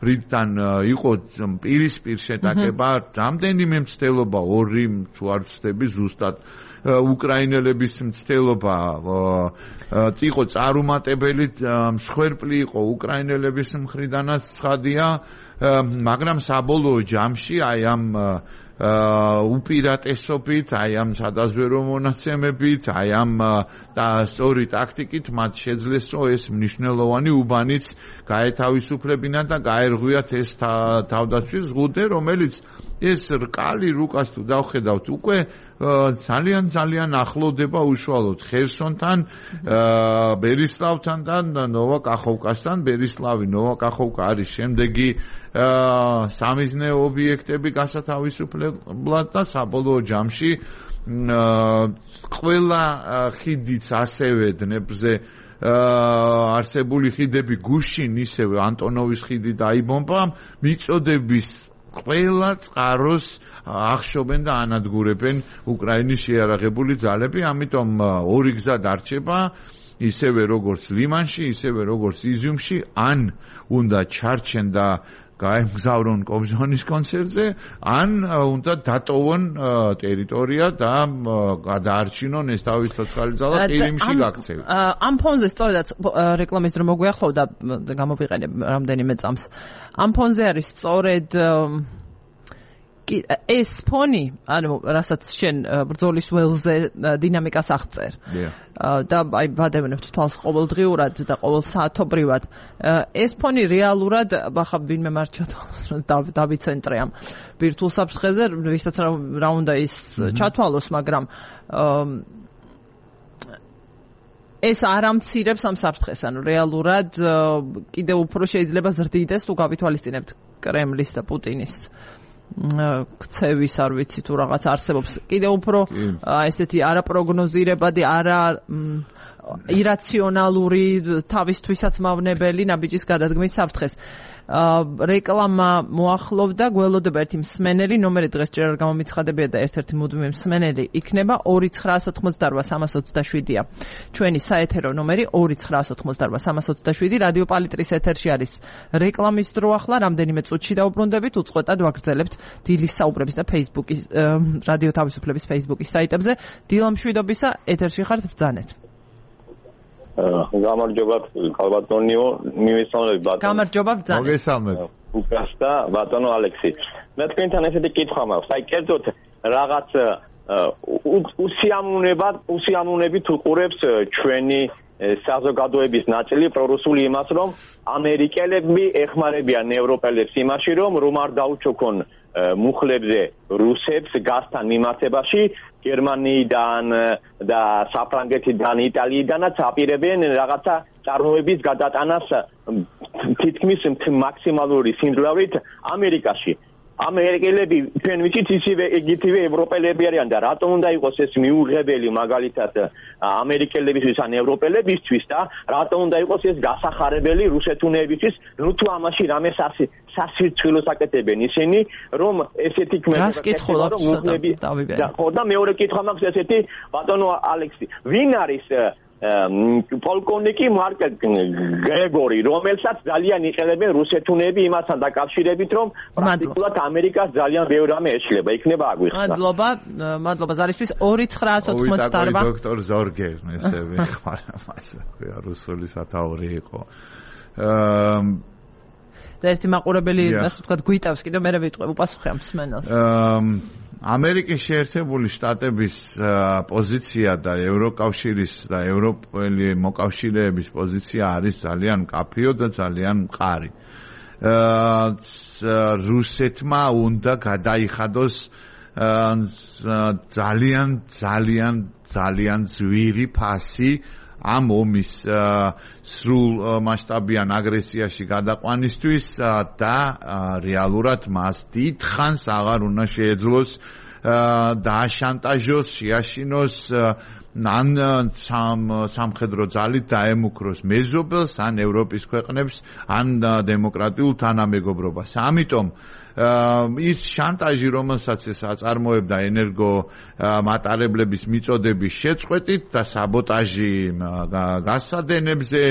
ბრიდთან იყო პირისპირ შეტაკება რამდენიმე მცდელობა ორი თუ არ ვცდები ზუსტად უკრაინელების მცდელობა იყო წარუმატებელი მსხვერპლი იყო უკრაინელების მხრიდანაც ცხადია მაგრამ საბოლოო ჯამში აი ამ უპირატესობით, აი ამ სადაზვერო მონაცემებით, აი ამ და სწორი ტაქტიკით მათ შეძლეს, რომ ეს მნიშვნელოვანი უბანიც გაეთავისუფლებინათ და გაერღვიათ ეს თავდაცვის ზღუდე, რომელიც ეს რკალი რუკას თუ დავხედავთ უკვე ძალიან ძალიან ახლოვდება უშუალოდ ხერსონთან, ბერისლავთან და ნოვაკახოვკასთან. ბერისლავი, ნოვაკახოვკა არის შემდეგი სამიზნე ობიექტები გასათავისუფლებლად და საბოლოო ჯამში ყველა ხიდიც ასევე დნეპრზე არსებული ხიდები გუშინ ისევე ანტონოვის ხიდი დაიბომბა მიწოდების ყველა წყაროს ახშობენ და ანადგურებენ უკრაინის შეიარაღებული ძალები, ამიტომ ორი გზა დარჩება, ისევე როგორც ლიმანში, ისევე როგორც იზიუმში, ან უნდა ჩარჩენ და გაემგზავრონ კობზონის კონცერტზე, ან უნდა დატოვონ ტერიტორია და გადაარჩინონ ეს თავის ცოცხალი ძალა ყირიმში გაქცევით. ამ ფონზე სწორედაც რეკლამის დრო მოგვიახლოვდა, გამოვიყენებ რამდენიმე წამს. ამ ფონზე არის სწორედ ეს ფონი, ანუ რასაც შენ ბრძოლის ველზე დინამიკას აღწერ. და აი ვადევნებთ თვალს ყოველდღიურად და ყოველსაათობრივად. ეს ფონი რეალურად ახლა ვინმე მარჩა თვალს რომ დავიცენტრე ამ ბირთვულ საფრთხეზე, ვისაც რა უნდა ის ჩათვალოს, მაგრამ ეს არ ამცირებს ამ საფრთხეს, ანუ რეალურად კიდევ უფრო შეიძლება ზრდიდეს თუ გავითვალისწინებთ კრემლის და პუტინის ქცევის არ ვიცი თუ რაღაც არსებობს კიდევ უფრო ესეთი არაპროგნოზირებადი არა ირაციონალური თავისთვისაც მავნებელი ნაბიჯის გადადგმის საფრთხეს. რეკლამა მოახლოვდა, გველოდება ერთი მსმენელი, ნომერი დღეს ჯერ არ გამომიცხადებია და ერთ-ერთი მუდმივი მსმენელი იქნება ორი ცხრაას ოთხმოცდარვა სამას ოცდაშვიდია. ჩვენი საეთერო ნომერი ორი ცხრაას ოთხმოცდარვა სამას ოცდაშვიდი. რადიო პალიტრის ეთერში არის რეკლამის დრო ახლა, რამდენიმე წუთში დაუბრუნდებით, უწყვეტად ვაგრძელებთ დილის საუბრების და Facebook-ის რადიო თავისუფლების Facebook-ის საიტებზე. დილა მშვიდობისა, ეთერში ხართ, ბრძანეთ. გამარჯობათ ქალბატონიო, მივესალმებით ბატონო. გამარჯობა ბრძანეთ. მოგესალმებით. უკრას და ბატონო ალექსი. მე თქვენთან ესეთი კითხვა მაქვს. აი კერძოდ რაღაც უსიამოვნებად, უსიამოვნებით უყურებს ჩვენი საზოგადოების ნაწილი პრორუსული იმას, რომ ამერიკელები ეხმარებიან ევროპელებს იმაში, რომ რომ არ დაუჩოქონ მუხლებზე რუსებს გასთან მიმართებაში, გერმანიიდან და საფრანგეთიდან, იტალიიდანაც აპირებენ რაღაცა წარმოების გადატანას თითქმის მაქსიმალური სიმძლავრით ამერიკაში. ამერიკელები ჩვენ ვიცით ისევე ეგეთივე ევროპელები არიან და რატომ უნდა იყოს ეს მიუღებელი მაგალითად ამერიკელებისთვის ან ევროპელებისთვის და რატომ უნდა იყოს ეს გასახარებელი რუსეთუნეებისთვის, ნუ თუ ამაში რამე სასირცხილოს აკეთებენ ისინი, რომ ესეთი ქმედება რომ მუხლები ხო და მეორე კითხვა მაქვს ესეთი ბატონო ალექსი, ვინ არის პოლკოვნიკი მარკ გრეგორი, რომელსაც ძალიან იყენებენ რუსეთუნები იმასთან დაკავშირებით, რომ პრაქტიკულად ამერიკას ძალიან ბევრ რამე ეშლება. იქნება აგვიხსნა. მადლობა, მადლობა ზარისთვის. ორი ცხრაას ოთხმოცდაარვა. დოქტორ ზორგე, ესე ვიხმარა მას. რუსული სათაური იყო. და ერთი მაყურებელი, ასე ვთქვათ, გვიტავს, კიდევ მე ვიტყვე, უპასუხე ამ მსმენელს. ამერიკის შეერთებული შტატების პოზიცია და ევროკავშირის და ევროპელი მოკავშირეების პოზიცია არის ძალიან მკაფიო და ძალიან მყარი. რუსეთმა უნდა გადაიხადოს ძალიან ძალიან ძალიან ძვირი ფასი ამ ომის სრულ მასშტაბიან აგრესიაში გადაყვანისთვის და რეალურად მას დიდხანს აღარ უნდა შეეძლოს დააშანტაჟოს, შეაშინოს ან სამხედრო ძალით დაემუქროს მეზობელს, ან ევროპის ქვეყნებს, ან დემოკრატიულ თანამეგობრობას. ამიტომ ის შანტაჟი, რომელსაც ეს აწარმოებდა ენერგო მატარებლების მიწოდების შეწყვეტით და საბოტაჟი გასადენებზე,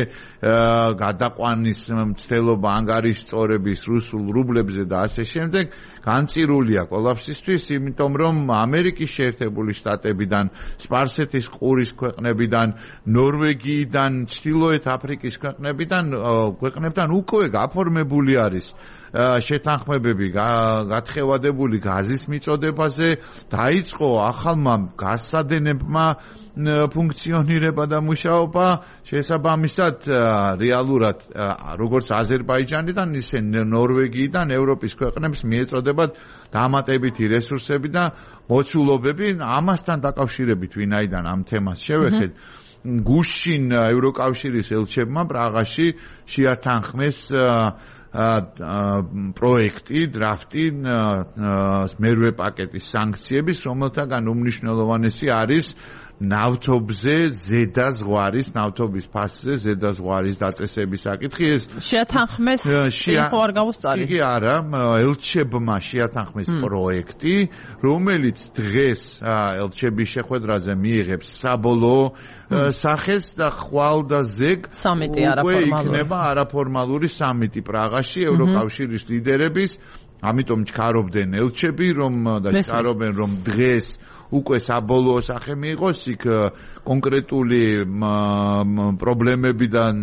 გადაყვანის მცდელობა ანგარიშწორების რუსულ რუბლებზე და ასე შემდეგ, განწირულია კოლაფსისთვის, იმიტომ რომ ამერიკის შეერთებული შტატებიდან, სპარსეთის ყურის ქვეყნებიდან, ნორვეგიიდან, ჩრდილოეთ აფრიკის ქვეყნებიდან, ქვეყნებთან უკვე გაფორმებული არის შეთანხმებები გათხევადებული გაზის მიწოდებაზე, დაიწყო ახალმა გასადენებმა ფუნქციონირება და მუშაობა, შესაბამისად რეალურად როგორც აზერბაიჯანიდან, ისე ნორვეგიიდან ევროპის ქვეყნებს მიეწოდებათ დამატებითი რესურსები და მოცულობები. ამასთან დაკავშირებით ვინაიდან ამ თემას შევეხეთ, გუშინ ევროკავშირის ელჩებმა პრაღაში შეათანხმეს პროექტი, დრაფტი მერვე პაკეტის სანქციების, რომელთაგან უმნიშვნელოვანესი არის ნავთობზე ზედა ზღვარის, ნავთობის ფასზე ზედა ზღვარის დაწესების საკითხი. ეს შეათანხმეს ხო არ გავუსწარი? კი არა, ელჩებმა შეათანხმეს პროექტი, რომელიც დღეს ელჩების შეხვედრაზე მიიღებს საბოლოო სახეს და ხვალ და ზეგ სამიტი არაფორმალური იქნება არაფორმალური სამიტი პრაღაში ევროკავშირის ლიდერების. ამიტომ ჩქარობდნენ ელჩები, რომ და ჩქარობენ, რომ დღეს უკვე საბოლოო სახე მიიღოს, იქ კონკრეტული პრობლემებიდან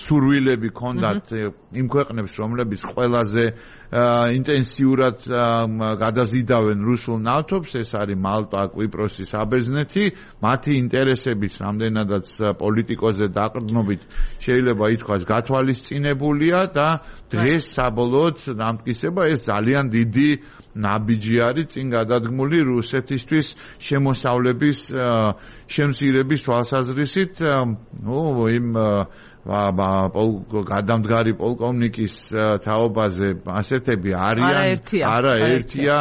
სურვილები ჰქონდათ იმ ქვეყნებს, რომლებიც ყველაზე ინტენსიურად გადაზიდავენ რუსულ ნავთობს, ეს არის მალტა, კვიპროსი, საბერძნეთი, მათი ინტერესების რამდენადაც პოლიტიკოზე დაყრდნობით შეიძლება ითქვას გათვალისწინებულია და დღეს საბოლოოდ დამტკიცება ეს ძალიან დიდი ნაბიჯი არის წინ გადადგმული რუსეთისთვის შემოსავლების შემცირების თვალსაზრისით. ნუ იმ გადამდგარი პოლკოვნიკის თაობაზე ასეთები არიან, არა ერთია,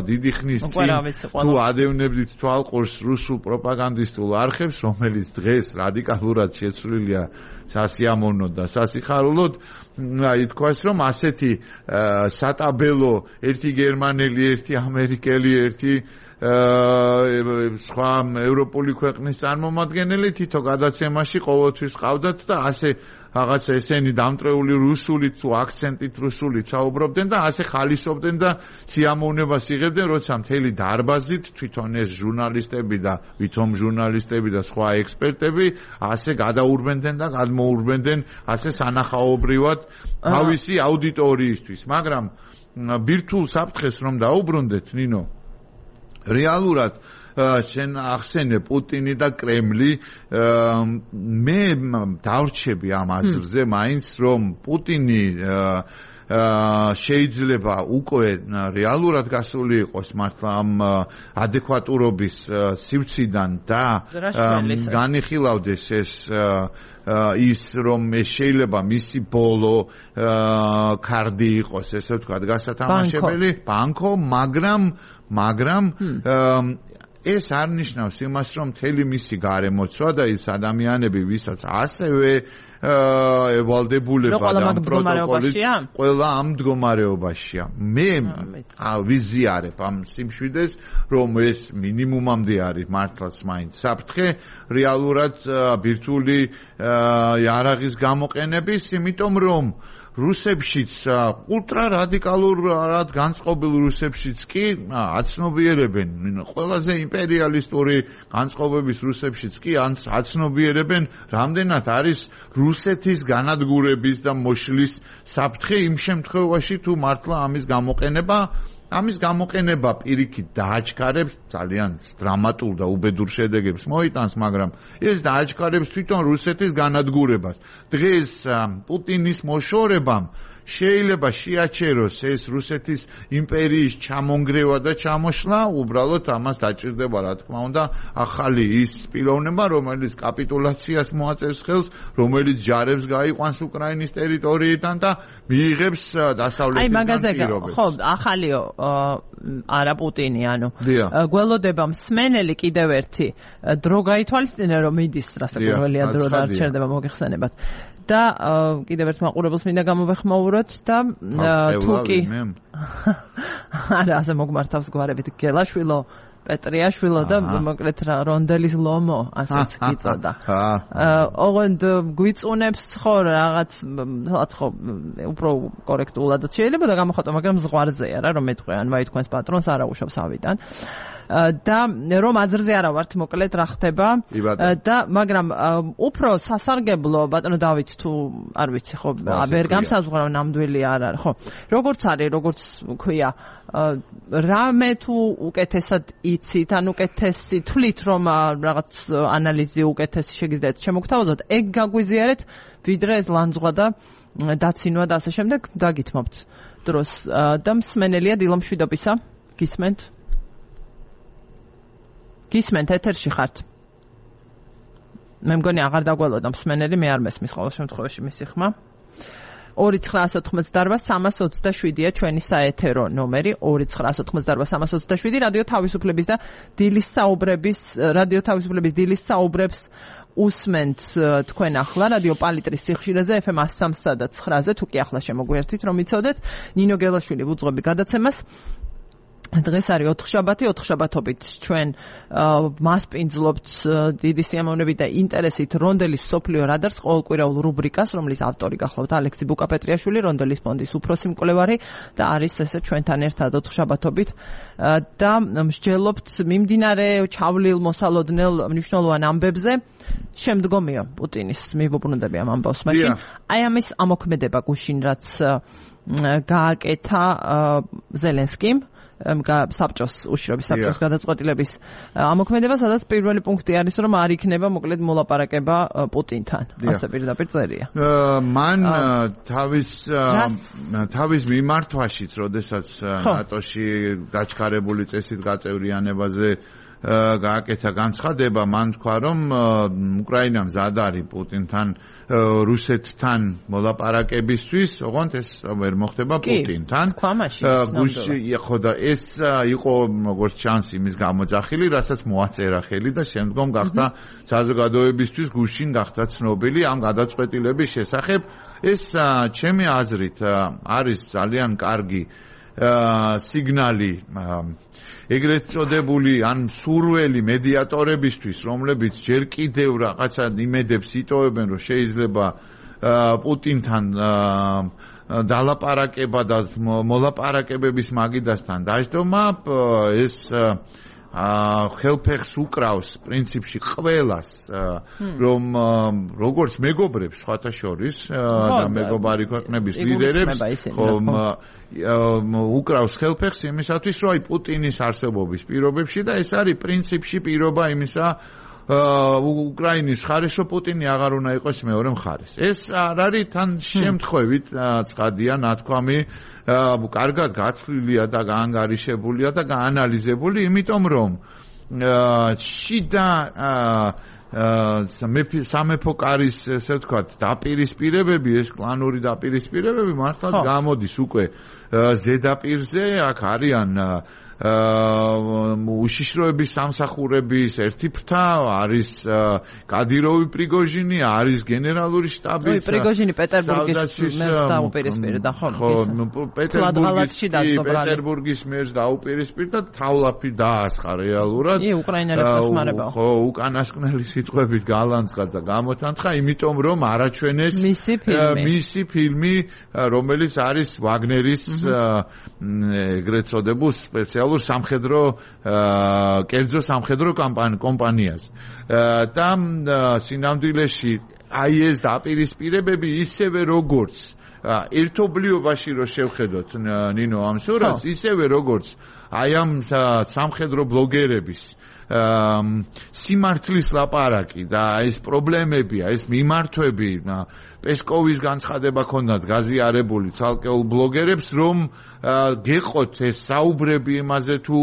დიდი ხნის წინ თუ ადევნებდით თვალყურს რუსულ პროპაგანდისტულ არხებს, რომელიც დღეს რადიკალურად შეცვლილია სასიამოვნოდ და სასიხარულოდ, ითქვას, რომ ასეთი სატაბელო, ერთი გერმანელი, ერთი ამერიკელი, ერთი სხვა ევროპული ქვეყნის წარმომადგენელი თითო გადაცემაში ყოველთვის ყავდათ და ასე რაღაცა ესენი დამტრეული რუსულით თუ აქცენტით რუსულით საუბრობდნენ და ასე ხალისობდნენ და სიამოვნებას იღებდნენ, როცა მთელი დარბაზით თვითონ ეს ჟურნალისტები და ვითომ ჟურნალისტები და სხვა ექსპერტები ასე გადაურბენდნენ და გადმოურბენდნენ ასე სანახაობრივად თავისი აუდიტორიისთვის. მაგრამ ბირთვულ საფრთხეს რომ დაუბრუნდეთ, ნინო, რეალურად შენ ახსენე პუტინი და კრემლი, მე დავრჩები ამ აზრზე მაინც, რომ პუტინი შეიძლება უკვე რეალურად გასული იყოს მართლა ამ ადეკვატურობის სივრციდან და განიხილავდეს ეს ის რომ შეიძლება მისი ბოლო კარდი იყოს, ესე ვთქვათ, გასათამაშებელი ბანკო, მაგრამ მაგრამ ეს არ ნიშნავს იმას, რომ მთელი მისი გარემოცვა და ის ადამიანები, ვისაც ასევე ევალდებულება და ამ პროტოკოლით ყველა ამ მდგომარეობაშია. მე ვიზიარებ ამ სიმშვიდეს, რომ ეს მინიმუმამდე არის მართლაც მაინც საფრთხე რეალურად ბირთვული იარაღის გამოყენების, იმიტომ რომ რუსებშიც ულტრა რადიკალურად განწყობილ რუსებშიც კი აცნობიერებენ, ყველაზე იმპერიალისტური განწყობების რუსებშიც კი აცნობიერებენ, რამდენად არის რუსეთის განადგურების და მოშლის საფრთხე იმ შემთხვევაში თუ მართლა ამის გამოყენება ამის გამოყენება პირიქით დააჩქარებს ძალიან დრამატულ და უბედურ შედეგებს მოიტანს, მაგრამ ეს დააჩქარებს თვითონ რუსეთის განადგურებას. დღეს პუტინის მოშორებამ შეიძლება შეაჩეროს ეს რუსეთის იმპერიის ჩამონგრევა და ჩამოშლა, უბრალოდ ამას დაჭირდება, რა თქმა უნდა, ახალი ის პიროვნება, რომელიც კაპიტულაციას მოაწერს ხელს, რომელიც ჯარებს გაიყვანს უკრაინის ტერიტორიიდან და მიიღებს დასავლეთიდან პირობებს. ხო, ახალიო არა პუტინი, ანუ გველოდება მსმენელი კიდევ ერთი დრო გაითვალისწინე, რომ მიდის რასაკვირველია დრო და არ ჩერდება მოგეხსენებათ. და კიდევ ერთ მაყურებელს მინდა გამოვეხმაუროთ და თუკი არა ასე მოგმართავს გვარებით გელაშვილო პეტრიაშვილო და მოკლედ რა რონდელის ლომო ასეც იწოდა. ოღონდ გვიწუნებს ხო რაღაც ხო უფრო კორექტულად შეიძლება და გამოხატო, მაგრამ ზღვარზეა რა რომ მეტყვი ან ვაი თქვენს პატრონს არ აუშავს ავიდან. და რომ აზრზე არა ვართ მოკლედ რა ხდება და მაგრამ უფრო სასარგებლო ბატონო დავით თუ არ ვიცი ხო ვერ გამსაზღვრავ ნამდვილი არ არის ხო როგორც არის როგორც ქვია რამე თუ უკეთესად იცით ან უკეთესი თვლით რომ რაღაც ანალიზი უკეთესი შეგიძლიათ შემოგთავაზოთ ეგ გაგვიზიარეთ ვიდრე ეს ლანძღვა და დაცინვა და ასე შემდეგ დაგითმობთ დროს და მსმენელია დილო მშვიდობისა გისმენთ გისმენთ ეთერში ხართ მე მგონი აღარ დაგველოდა მსმენელი მე არ მესმის ყოველ შემთხვევაში მისი ხმა ორი ცხრაასი ოცდაოთხმოცდაოთხ სამას ოცდაშვიდია ჩვენი საეთერო ნომერი ორი ცხრაასი ოცდაოთხ სამას ოცდაშვიდი რადიო თავისუფლების და დილის საუბრების რადიო თავისუფლების დილის საუბრებს უსმენთ თქვენ ახლა რადიო პალიტრის სიხშირეზე ეფ ემ სამ და ცხრაზე თუ კი ახლა შემოგვერთით რომ იცოდეთ ნინო გელაშვილი ვუძღვები გადაცემას დღეს არის ოთხშაბათი, ოთხშაბათობით ჩვენ მასპინძლობთ დიდი სიამოვნებით და ინტერესით რონდელის მსოფლიო რადარს ყოველკვირეულ რუბრიკას, რომლის ავტორი გახლავთ ალექსი ბუკაპეტრიაშვილი, რონდელის ფონდის უფროსი მკვლევარი და არის ესე ჩვენთან ერთად ოთხშაბათობით და მსჯელობთ მიმდინარე ჩავლილ მოსალოდნელ მნიშვნელოვან ამბებზე. შემდგომია პუტინის მივუბრუნდები ამ ამბავს, მაშინ აი ამის ამოქმედება გუშინ რაც გააკეთა ზელენსკიმ საბჭოს უშიშრობის საბჭოს გადაწყვეტილების ამოქმედება, სადაც პირველი პუნქტი არის, რომ არ იქნება მოკლედ მოლაპარაკება პუტინთან. ასე პირდაპირ წერია. მან თავის თავის მიმართვაშიც, როდესაც ნატოში გაჩქარებული წესით გაწევრიანებაზე გააკეთა განცხადება, მან თქვა, რომ უკრაინამ მზად არის პუტინთან რუსეთთან მოლაპარაკებისთვის, ოღონდ ეს ვერ მოხდება პუტინთან. გუშინ ხო და ეს იყო როგორც ჩანს იმის გამოძახილი, რასაც მოაწერა ხელი და შემდგომ გახდა საზოგადოებისთვის გუშინ გახდა ცნობილი ამ გადაწყვეტილების შესახებ. ეს ჩემი აზრით არის ძალიან კარგი სიგნალი ეგრეთ წოდებული ან სურველი მედიატორებისთვის, რომლებიც ჯერ კიდევ რაღაცა იმედებს იტოვებენ, რომ შეიძლება პუტინთან დალაპარაკება და მოლაპარაკებების მაგიდასთან დაждომა, ეს ხელფეხს უკრავს პრინციპში ყველას, რომ როგორც მეგობრებს სხვათა შორის და მეგობარი ქვეყნების ლიდერებს უკრავს ხელფეხს იმისათვის, რომ აი პუტინის არსებობის პირობებში და ეს არის პრინციპში პირობა იმისა უკრაინის მხარეს, რომ პუტინი აღარ უნდა იყოს მეორე მხარეს. ეს არ არის თან შემთხვევით ცხადია ნათქვამი კარგად გათვლილია და გაანგარიშებულია და გაანალიზებული, იმიტომ რომ შიდა სამეფო კარის ესე ვთქვათ დაპირისპირებები, ეს კლანური დაპირისპირებები მართლაც გამოდის უკვე ზედაპირზე, აქ არიან უშიშროების სამსახურების ერთი ფრთა, არის კადიროვი პრიგოჟინი, არის გენერალური შტაბი. ой, პრიგოჟინი პეტერბურგის მერს დაუპირისპირდა, ხო? პეტერბურგის პეტერბურგის მერს დაუპირისპირდა, თავლაფი დაასხა რეალურად. ი, უკრაინელებს ხმარება. ხო, უკანასკნელი სიტყვებით გალანძღა და გამოთანხა, იმიტომ რომ არაჩვენეს მისი ფილმი, რომელიც არის ვაგნერის ეგრეთ წოდებულ სპეციალურ სამხედრო კერძო სამხედრო კომპანიას და სინამდვილეში აი ეს დაპირისპირებები ისევე როგორც ერთობლიობაში რო შევხედოთ ნინო ამ სურათს, ისევე როგორც აი ამ სამხედრო ბლოგერების სიმართლის ლაპარაკი და ეს პრობლემები, ეს მიმართვები პესკოვის განცხადება ქონდათ გაზიარებული ცალკეულ ბლოგერებს, რომ გეყოთ ეს საუბრები იმაზე თუ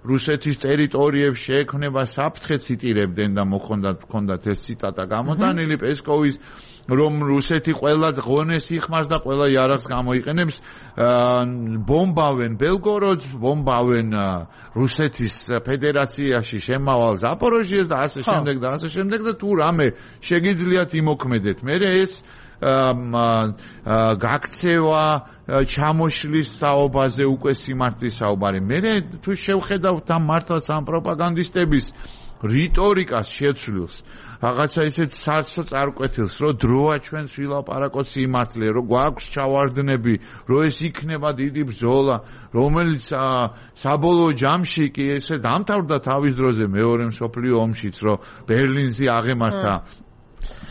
რუსეთის ტერიტორიებში შეექმნება საფრთხე, ციტირებდნენ და მოხონდათ ქონდათ ეს ციტატა გამოტანილი პესკოვის, რომ რუსეთი ყველა ღონეს იხმარს და ყველა იარაღს გამოიყენებს, ბომბავენ ბელგოროდს, ბომბავენ რუსეთის ფედერაციაში შემავალ ზაპოროჟიეს და ასე შემდეგ და ასე შემდეგ და თუ რამე შეგიძლიათ იმოქმედეთ. მე ეს გაქცევა ჩამოშლის საუბაზე უკვე სიმართლის საუბარი. მე თუ შევხედავთ ამ მართლაც ამ პროპაგანდისტების რიტორიკას შეცვლილს რაღაცა ისეთ საცო წარკვეთილს, რომ დროა ჩვენს ვილაპარაკოთ სიმართლე, რომ გვაქვს ჩავარდნები, რომ ეს იქნება დიდი ბრძოლა, რომელიც საბოლოო ჯამში კი ესე დამთავრდა თავის დროზე მეორე მსოფლიო ომშიც, რომ ბერლინზე აღემართა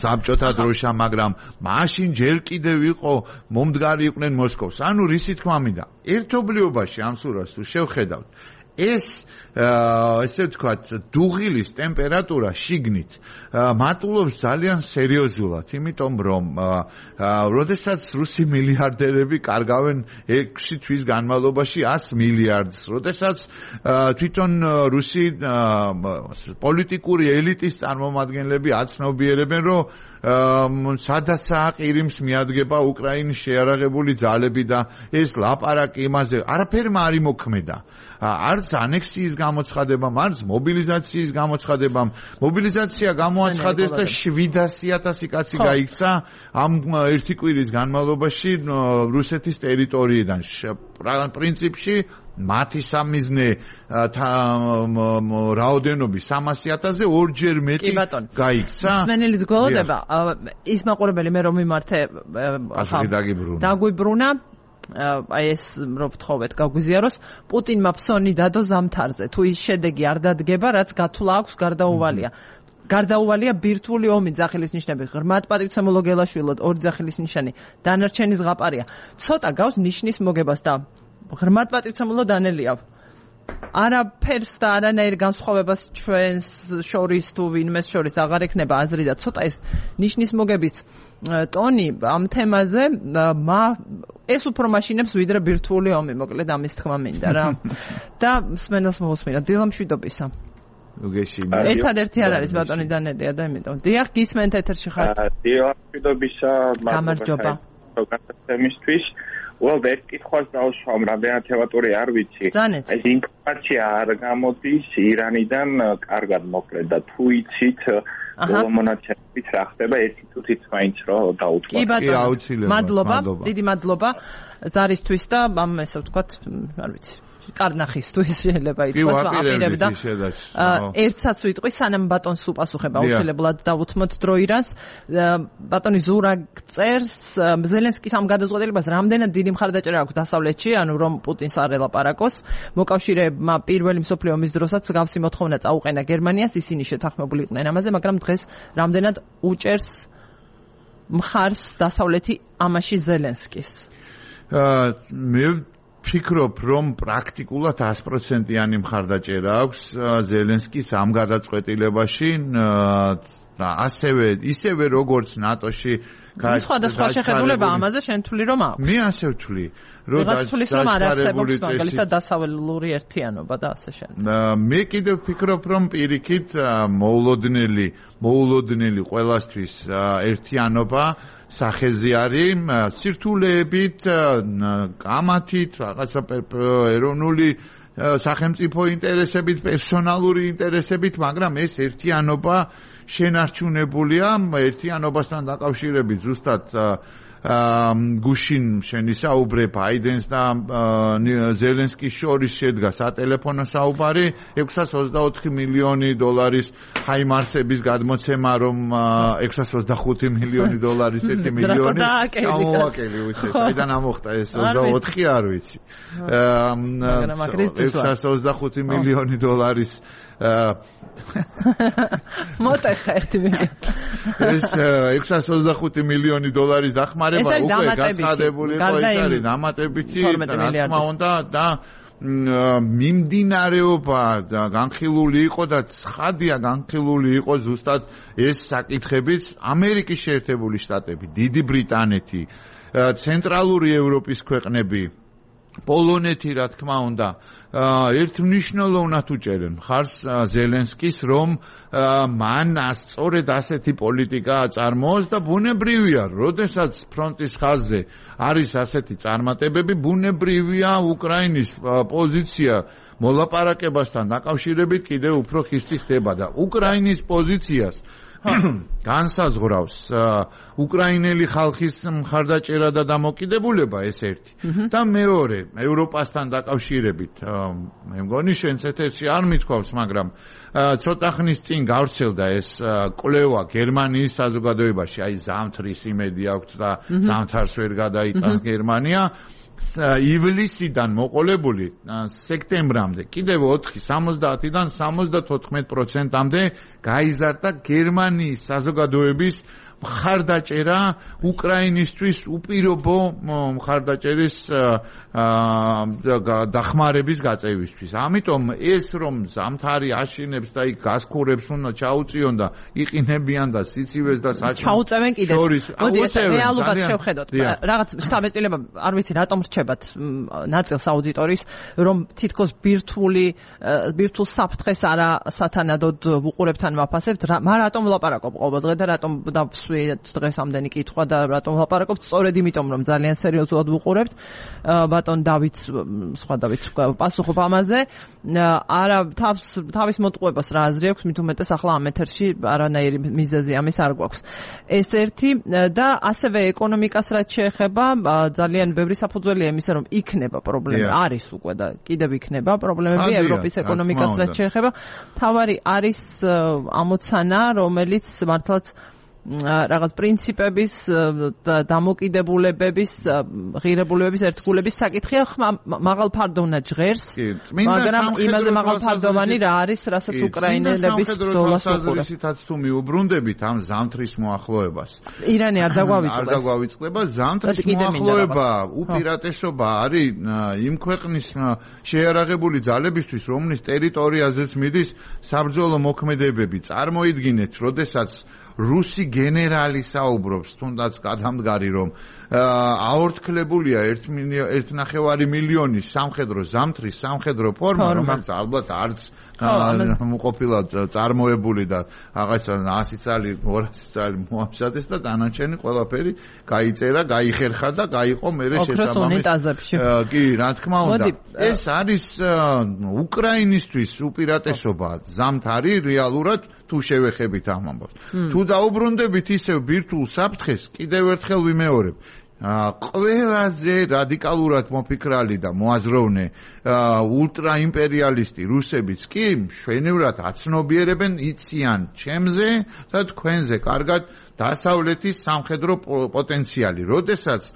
საბჭოთა დროშა, მაგრამ მაშინ ჯერ კიდევ იყო მომდგარი იყვნენ მოსკოვს. ანუ რისი თქმა მინდა, ერთობლიობაში ამ სურათს თუ შევხედავთ, ეს ესე ვთქვათ, დუღილის ტემპერატურა შიგნით მატულობს ძალიან სერიოზულად, იმიტომ რომ როდესაც რუსი მილიარდერები კარგავენ ექვსი თვის განმავლობაში ას მილიარდს, როდესაც თვითონ რუსი პოლიტიკური ელიტის წარმომადგენლები აცნობიერებენ, რომ სადაცაა ყირიმს მიადგება უკრაინის შეარაღებული ძალები და ეს ლაპარაკი იმაზე არაფერმა არ იმოქმედა. არც ანექსიის გამოცხადებამ, არც მობილიზაციის გამოცხადებამ. მობილიზაცია გამოაცხადეს და შვიდასი ათასი კაცი გაიქცა ამ ერთი კვირის განმავლობაში რუსეთის ტერიტორიიდან. პრინციპში მათი სამიზნე რაოდენობის სამასი ათასზე ორჯერ მეტი გაიქცა. მსმენელის გველოდება ის მაყურებელი მე რომ მიმართე დაგვიბრუნა აი ეს რომ ვთხოვეთ გაგვიზიაროს პუტინმა ფსონი დადო ზამთარზე თუ ის შედეგი არ დადგება რაც გათვლა აქვს გარდაუვალია გარდაუვალია ბირთვული ომი ძახილის ნიშნები ღრმად პატივცემულო გელაშვილოდ ორი ძახილის ნიშანი დანარჩენი ზღაპარია ცოტა გავს ნიშნის მოგებას და ღრმად პატივცემულო დანელია არაფერს და არანაირ განსხვავებას ჩვენს შორის თუ ვინმეს შორის აღარ ექნება აზრი და ცოტა ეს ნიშნის მოგების ტონი ამ თემაზე ეს უფრო მაშინებს ვიდრე ბირთვული ომი მოკლედ ამის თქმა მინდა რა და მსმენელს მოусმინო დილამშვიდობისა ერთადერთი არ არის ბატონი დანელია და იმიტომ დიახ გისმენთ ეთერში ხართ დილამშვიდობისა გამარჯობა გასაცემისთვის Well, ერთ კითხვას დავუშვამ, რამდენად თევატური არ ვიცი. ეს ინფორმაცია არ გამოდის ირანიდან კარგად მოკლედ და თუ იცით მონაცემებით რა ხდება, ერთი თუთიც მაინც რომ დაუთმოთ. კი ბატონო, მადლობა, დიდი მადლობა ზარისთვის და ამ ესე ვთქვათ, არ ვიცი. კარნახისთვის შეიძლება ითქვას აპირებდა. ერთსაც ვიტყვი, სანამ ბატონს უპასუხება აუცილებლად დავუთმოთ დრო ირანს. ბატონი ზურა წერს ზელენსკის ამ გადაწყვეტილებას რამდენად დიდი მხარდაჭერა აქვს დასავლეთში, ანუ რომ პუტინს არ ელაპარაკოს. მოკავშირეებმა პირველი მსოფლიო ომის დროსაც გავსი მოთხოვნა წაუყენა გერმანიას, ისინი შეთანხმებული იყვნენ ამაზე, მაგრამ დღეს რამდენად უჭერს მხარს დასავლეთი ამაში ზელენსკის. მე ფიქრობ, რომ პრაქტიკულად ას პროცენტიანი მხარდაჭერა აქვს ზელენსკის ამ გადაწყვეტილებაში და ასევე ისევე როგორც ნატოში სხვადასხვა შეხედულება ამაზე შენ თვლი რომ აქვს. მე ასე ვთვლი, რომ არ არსებობს მაგალითად დასავლური ერთიანობა და ასე შემდეგ. მე კიდევ ვფიქრობ, რომ პირიქით მოულოდნელი, მოულოდნელი ყველასთვის ერთიანობა სახეზე არის სირთულეებით, კამათით, რაღაცა ეროვნული სახელმწიფო ინტერესებით, პერსონალური ინტერესებით, მაგრამ ეს ერთიანობა შენარჩუნებულია ერთიანობასთან დაკავშირებით ზუსტად გუშინ შენი საუბრე ბაიდენს და ზელენსკის შორის შედგა სატელეფონო საუბარი ექვსას ოცდაოთხი მილიონი დოლარის ჰაიმარსების გადმოცემა რომ ექვსას ოცდახუთი მილიონი დოლარის ერთი მილიონი ჩამოვაკელი უცეს საიდან ამოხდა ეს ოცდაოთხი არ ვიცი ექვსას ოცდახუთი მილიონი დოლარის მოტეხა ერთი მილიონი ეს ექვსას ოცდახუთი მილიონი დოლარის დახმარება უკვე გაცხადებული იყო ეს არის დამატებითი რა უნდა და მიმდინარეობა და განხილული იყო და ცხადია განხილული იყო ზუსტად ეს საკითხებიც ამერიკის შეერთებული შტატები, დიდი ბრიტანეთი, ცენტრალური ევროპის ქვეყნები პოლონეთი რა თქმა უნდა ერთმნიშვნელოვნად უჭერენ მხარს ზელენსკის რომ მან სწორედ ასეთი პოლიტიკა აწარმოოს და ბუნებრივია როდესაც ფრონტის ხაზზე არის ასეთი წარმატებები ბუნებრივია უკრაინის პოზიცია მოლაპარაკებასთან დაკავშირებით კიდევ უფრო ხისტი ხდება და უკრაინის პოზიციას განსაზღვრავს უკრაინელი ხალხის მხარდაჭერა და დამოკიდებულება ეს ერთი და მეორე ევროპასთან დაკავშირებით მე მგონი შენც ეთერში არ მithქვავს მაგრამ ცოტა ხნის წინ გავრცელდა ეს კვლევა გერმანიის საზოგადოებაში აი ზამთრის იმედი აქვს და ზამთარს ვერ გადაიტანს გერმანია ივლისიდან მოყოლებული სექტემბრამდე კიდევ ოთხი სამოცდაათიდან სამოცდათოთხმეტ პროცენტამდე გაიზარდა გერმანიის საზოგადოების მხარდაჭერა უკრაინისთვის უპირობო მხარდაჭერის დახმარების გაწევისთვის. ამიტომ ეს რომ ზამთარი აშინებს და იქ გასქურებს უნდა ჩაუწიონ და იყინებიან და სიცივეს და საჭმელს ჩაუწევენ კიდეც. მოდი ეს რეალობად შევხედოთ. რაღაც შთაბეჭდილება არ ვიცი რატომ რჩებათ ნაწილს აუდიტორიის რომ თითქოს ბირთვული ბირთვულ საფრთხეს არა სათანადოდ ვუყურებთან ვაფასებთ. მა რატომ ვლაპარაკობ ყოველდღე და რატომ დღეს ამდენი კითხვა და რატომ ვლაპარაკობთ სწორედ იმიტომ რომ ძალიან სერიოზულად ვუყურებთ ბატონ დავით სხვა დავით პასუხობ ამაზე არა თავს თავის მოტყუებას რა აზრი აქვს მით უმეტეს ახლა ამ ეთერში არანაირი მიზეზი ამის არ გვაქვს ეს ერთი და ასევე ეკონომიკას რაც შეეხება ძალიან ბევრი საფუძველია იმისა რომ იქნება პრობლემა არის უკვე და კიდევ იქნება პრობლემები ევროპის ეკონომიკას რაც შეეხება თავარი არის ამოცანა რომელიც მართლაც რაღაც პრინციპების დამოკიდებულებების ღირებულებების ერთგულების საკითხია მაღალ ფარდოვნა ჟღერს მაგრამ იმაზე მაღალ ფარდოვანი რა არის რასაც უკრაინელების ბრძოლას უყურებს თუ მიუბრუნდებით ამ ზამთრის მოახლოებას ირანი არ დაგვავიწყდეს არ დაგვავიწყდება ზამთრის მოახლოება უპირატესობა არის იმ ქვეყნის შეიარაღებული ძალებისთვის რომლის ტერიტორიაზეც მიდის საბრძოლო მოქმედებები წარმოიდგინეთ როდესაც რუსი გენერალი საუბრობს თუნდაც გადამდგარი რომ აორთქლებულია ერთ ნახევარი მილიონის სამხედრო ზამთრის სამხედრო ფორმა რომელიც ალბათ არც ყოფილა წარმოებული და რაღაცა ასი წელი ორასი წელი მოამზადეს და დანარჩენი ყველაფერი გაიწერა, გაიხერხა და გაიყო მერე შესაბამისი კი რა თქმა უნდა ეს არის უკრაინისთვის უპირატესობა ზამთარი რეალურად თუ შევეხებით ამ ამბავს თუ დაუბრუნდებით ისევ ბირთვულ საფრთხეს კიდევ ერთხელ ვიმეორებ ყველაზე რადიკალურად მოფიქრალი და მოაზროვნე ულტრაიმპერიალისტი რუსებიც კი მშვენივრად აცნობიერებენ იციან ჩემზე და თქვენზე კარგად დასავლეთის სამხედრო პოტენციალი როდესაც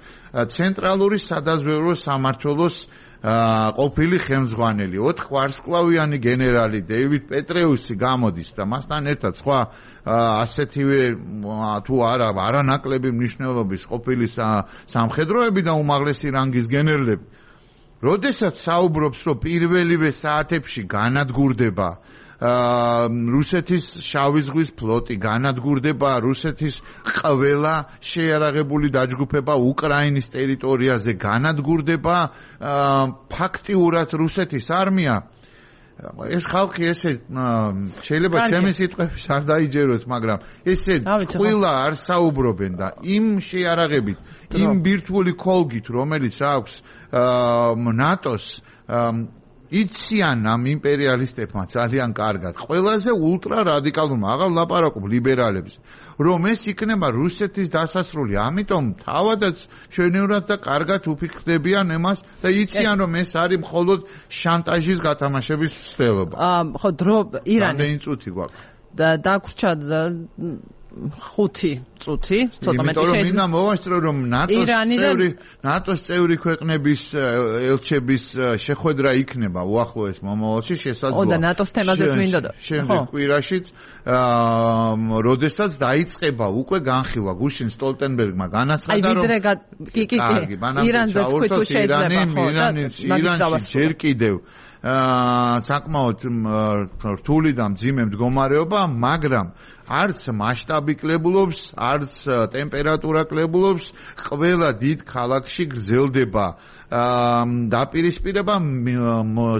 ცენტრალური სადაზვერვო სამმართველოს ყოფილი ხელმძღვანელი ოთხ ვარსკვლავიანი გენერალი დეივიდ პეტრეუსი გამოდის და მასთან ერთად სხვა ასეთივე თუ არა არანაკლები მნიშვნელობის ყოფილი სამხედროები და უმაღლესი რანგის გენერლები როდესაც საუბრობს რომ პირველივე საათებში განადგურდება რუსეთის შავი ზღვის ფლოტი განადგურდება რუსეთის ყველა შეიარაღებული დაჯგუფება უკრაინის ტერიტორიაზე განადგურდება ფაქტიურად რუსეთის არმია ეს ხალხი ესე შეიძლება ჩემი სიტყვების არ დაიჯეროთ მაგრამ ესე ყველა არ საუბრობენ და იმ შეიარაღებით იმ ბირთვული კოლგით რომელიც აქვს ნატოს იციან ამ იმპერიალისტებმა ძალიან კარგად ყველაზე ულტრა რადიკალურმა აღარ ლაპარაკობ ლიბერალებს რომ ეს იქნება რუსეთის დასასრული ამიტომ თავადაც ჩვენევრად და კარგად უფიქრდებიან εμას და იციან რომ ეს არის მხოლოდ შანტაჟის გათამაშების ცდელობა ხო დრო ირანი რამდენი წუთი გვაქვს და დაგვრჩა ხუთი წუთი ცოტა მეტი შეიძლება მინდა მოვასწრო რომ ნატოს წევრი ნატოს წევრი ქვეყნების ელჩების შეხვედრა იქნება უახლოეს მომავალში შესაძლოა. ო და ნატოს თემაზეც მინდოდა. შემდეგ კვირაშიც როდესაც დაიწყება უკვე განხილვა გუშინ სტოლტენბერგმა განაცხადა რომ აი ვიდრე კი კი კი ირანზე თქვი თუ შეიძლება ხო ირანში ჯერ კიდევ საკმაოდ რთული და მძიმე მდგომარეობა მაგრამ არც მასშტაბი კლებულობს, არც ტემპერატურა კლებულობს, ყველა დიდ ქალაქში გრძელდება დაპირისპირება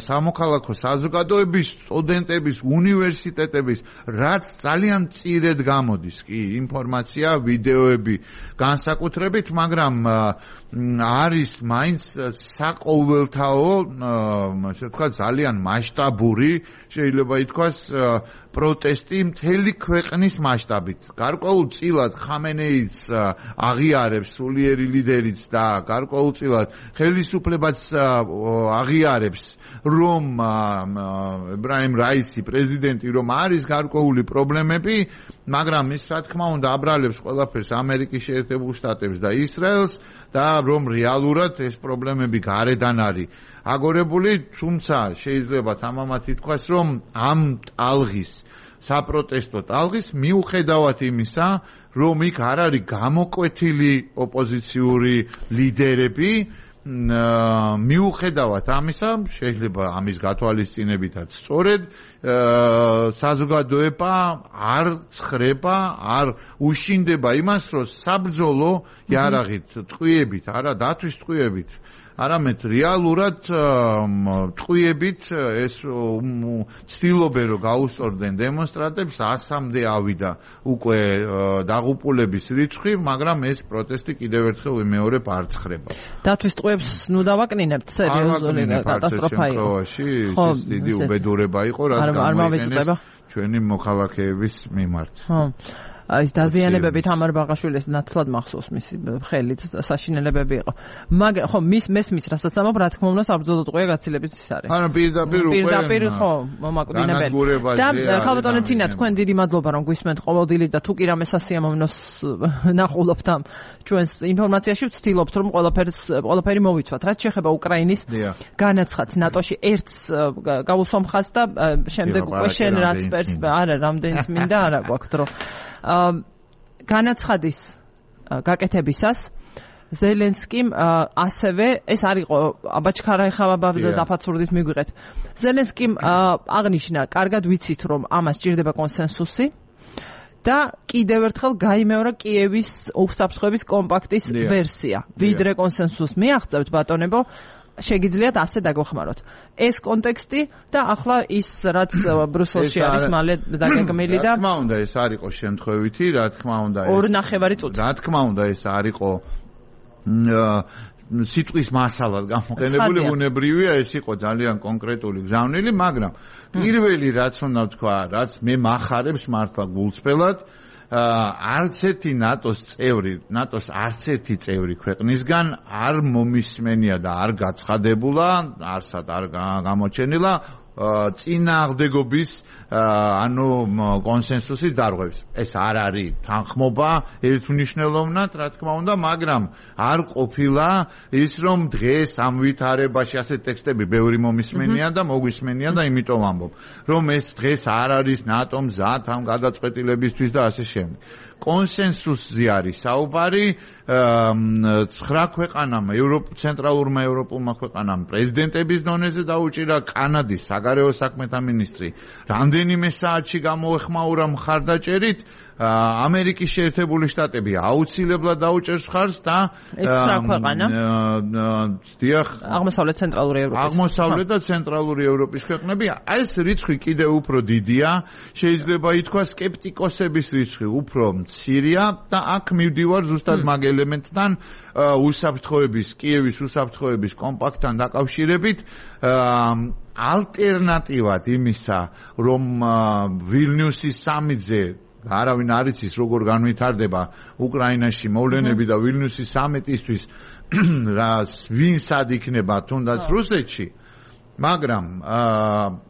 სამოქალაქო საზოგადოების, სტუდენტების, უნივერსიტეტების, რაც ძალიან მწირედ გამოდის კი ინფორმაცია, ვიდეოები განსაკუთრებით, მაგრამ არის მაინც საყოველთაო, ასე ვთქვათ, ძალიან მასშტაბური, შეიძლება ითქვას, პროტესტი მთელი ქვეყნის მასშტაბით. გარკვეულწილად ხამენეიც აღიარებს, სულიერი ლიდერიც და გარკვეულწილად ხელისუფლებაც აღიარებს, რომ ებრაიმ რაისი პრეზიდენტი რომ არის გარკვეული პრობლემები, მაგრამ ის რა თქმა უნდა აბრალებს ყველაფერს ამერიკის შეერთებულ შტატებს და ისრაელს და რომ რეალურად ეს პრობლემები გარედან არის აგორებული, თუმცა შეიძლება თამამად ითქვას, რომ ამ ტალღის საპროტესტო ტალღის მიუხედავად იმისა, რომ იქ არ არის გამოკვეთილი ოპოზიციური ლიდერები, მიუხედავად ამისა, შეიძლება ამის გათვალისწინებითაც სწორედ საზოგადოება არ ცხრება, არ უშინდება იმას, რომ საბრძოლო იარაღით, ტყვიებით, არა დათვის ტყვიებით, არამედ რეალურად ტყვიებით ეს ცდილობენ რომ გაუსწორდნენ დემონსტრანტებს, ასამდე ავიდა უკვე დაღუპულების რიცხვი, მაგრამ ეს პროტესტი კიდევ ერთხელ ვიმეორებ არ ცხრება. დათვის ტყვიებს ნუ დავაკნინებთ, სერიოზული კატასტროფა იყო. ხო, ეს დიდი უბედურება იყო, რაც გამოიყენეს ჩვენი მოქალაქეების მიმართ. ხო. ის დაზიანებები თამარ ბაღაშვილის ნათლად მახსოვს მისი ხელით საშინელებები იყო. მაგრამ ხო მის მესმის რასაც ამობ რა თქმა უნდა საბრძოლო ტყვია გაცილებით ის არის. ანუ პირდაპირ უკვე პირდაპირ ხო მომაკვდინებელი. და ხალბატონო თინა თქვენ დიდი მადლობა რომ გვისმენთ ყოველდღიურად და თუ კი რამე სასიამოვნოს ნახულობთ ამ ჩვენს ინფორმაციაში ვცდილობთ რომ ყველაფერს ყველაფერი მოვიცვათ. რაც შეეხება უკრაინის განაცხადს ნატოში ერთს გავუსვამხას და შემდეგ უკვე შენ რაც პერს არა რამდენიც მინდა არა გვაქვს დრო. განაცხადის გაკეთებისას ზელენსკიმ ასევე ეს არისო აბაჩქარა ეხლა დაფაცურდით მიგვიღეთ. ზელენსკიმ აღნიშნა, კარგად ვიცით რომ ამას სჭირდება კონსენსუსი და კიდევ ერთხელ გაიმეორა კიევის უსაფრთხოების კომპაქტის ვერსია. ვიდრე კონსენსუსს მიაღწევთ ბატონებო, შეგიძლიათ ასე დაგვეხმაროთ. ეს კონტექსტი და ახლა ის რაც ბრუსელში არის მალე დაგეგმილი და რა თქმა უნდა ეს არისო შემთხვევითი, რა თქმა უნდა ეს ორი ნახევარი წუთი. რა თქმა უნდა ეს არისო სიტყვის მასალად გამოყენებული, ბუნებრივია ეს იყო ძალიან კონკრეტული გზავნილი, მაგრამ პირველი რაც უნდა ვთქვა, რაც მე მახარებს მართლა გულწრფელად, არც ერთი ნატოს წევრი, ნატოს არც ერთი წევრი ქვეყნისგან არ მომისმენია და არ გაცხადებულა, არსად არ გამოჩენილა წინააღმდეგობის ანუ კონსენსუსის დარღვევის. ეს არ არის თანხმობა ერთმნიშვნელოვნად, რა თქმა უნდა, მაგრამ არ ყოფილა ის რომ დღეს ამ ვითარებაში ასე ტექსტები ბევრი მომისმენია და მოგვისმენია და იმიტომ ვამბობ, რომ ეს დღეს არ არის ნატო მზად ამ გადაწყვეტილებისთვის და ასე შემდეგ. კონსენსუსზე არის საუბარი, ცხრა ქვეყანამ, ცენტრალურმა ევროპულმა ქვეყანამ პრეზიდენტების დონეზე დაუჭირა, კანადის საგარეო საქმეთა მინისტრი რამდენიმე საათში გამოეხმაურა მხარდაჭერით, ამერიკის შეერთებული შტატები აუცილებლად დაუჭერს მხარს და დიახ, აღმოსავლეთ ცენტრალური ევროპის აღმოსავლეთ და ცენტრალური ევროპის ქვეყნები, ეს რიცხვი კიდევ უფრო დიდია, შეიძლება ითქვას სკეპტიკოსების რიცხვი უფრო მცირეა და აქ მივდივარ ზუსტად მაგ ელემენტთან უსაფრთხოების, კიევის უსაფრთხოების კომპაქტთან დაკავშირებით, ალტერნატივად იმისა, რომ ვილნიუსის სამიტზე არავინ არ იცის როგორ განვითარდება უკრაინაში მოვლენები და ვილნიუსის სამიტისთვის რა ვინ სად იქნება თუნდაც რუსეთში, მაგრამ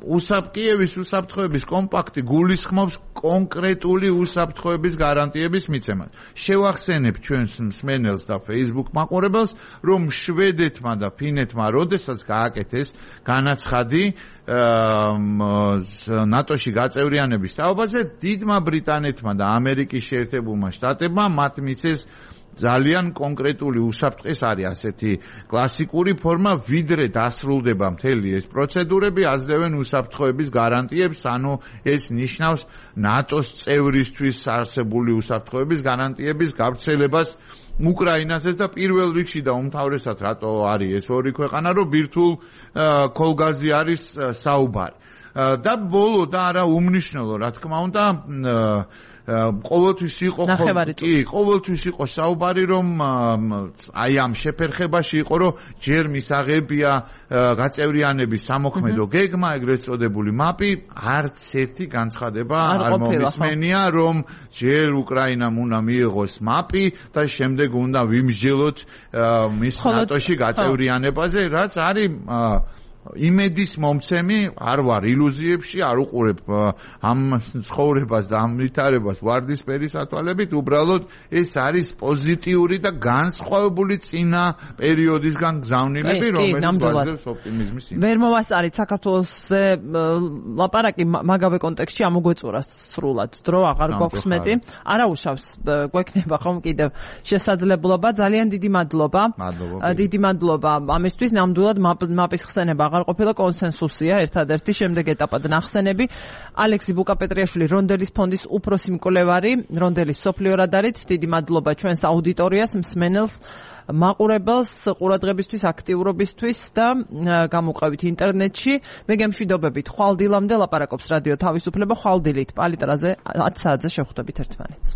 უსაფრთხოების უსაფრთხოების კომპაქტი გულისხმობს კონკრეტული უსაფრთხოების გარანტიების მიცემას. შევახსენებ ჩვენს მსმენელს და Facebook მაყურებელს, რომ შვედეთმა და ფინეთმა როდესაც გააკეთეს განაცხადი ნატოში გაწევრიანების თაობაზე, დიდმა ბრიტანეთმა და ამერიკის შეერთებულმა შტატებმა მათ მიცეს ძალიან კონკრეტული უსაფრთხო, ეს არის ასეთი კლასიკური ფორმა, ვიდრე დასრულდება მთელი ეს პროცედურები, აძლევენ უსაფრთხოების გარანტიებს, ანუ ეს ნიშნავს ნატოს წევრისთვის არსებული უსაფრთხოების გარანტიების გავრცელებას უკრაინასაც და პირველ რიგში და უმთავრესად რატო არის ეს ორი ქვეყანა, რომ ბირთვულ ქოლგაზი არის საუბარი. და ბოლო და არა უმნიშვნელო, რა თქმა უნდა, ყოველთვის იყო კი, ყოველთვის იყო საუბარი, რომ აი ამ შეფერხებაში იყო, რომ ჯერ მისაღებია გაწევრიანების სამოქმედო გეგმა, ეგრეთ წოდებული მაპი, არც ერთი განცხადება არ მომისმენია, რომ ჯერ უკრაინამ უნდა მიიღოს მაპი და შემდეგ უნდა ვიმსჯელოთ მის ნატოში გაწევრიანებაზე, რაც არის იმედის მომცემი, არ ვარ ილუზიებში, არ უყურებ ამ ცხოვრებას და ამ ვითარებას ვარდისფერი სათვალებით, უბრალოდ ეს არის პოზიტიური და განსხვავებული წინა პერიოდისგან გზავნილები, რომელიც ვაძლევს ოპტიმიზმის იმედს. ვერ მოვასწარით საქართველოსზე ლაპარაკი მაგავე კონტექსტში ამოგვეწურა სრულად, დრო აღარ გვაქვს მეტი. არაუშავს გვექნება ხომ კიდევ შესაძლებლობა, ძალიან დიდი მადლობა. დიდი მადლობა ამისთვის, ნამდვილად მაპის ხსენება აღარ ყოფილა კონსენსუსია, ერთადერთი შემდეგ ეტაპად ნახსენები. ალექსი ბუკაპეტრიაშვილი, რონდელის ფონდის უფროსი მკვლევარი, რონდელის სოფლიო რადარით, დიდი მადლობა ჩვენს აუდიტორიას, მსმენელს, მაყურებელს, ყურადღებისთვის, აქტიურობისთვის და გამოყევით ინტერნეტში. მე გემშვიდობებით, ხვალ დილამდე ლაპარაკობს რადიო თავისუფლება, ხვალ დილით პალიტრაზე ათ საათზე შევხვდებით ერთმანეთს.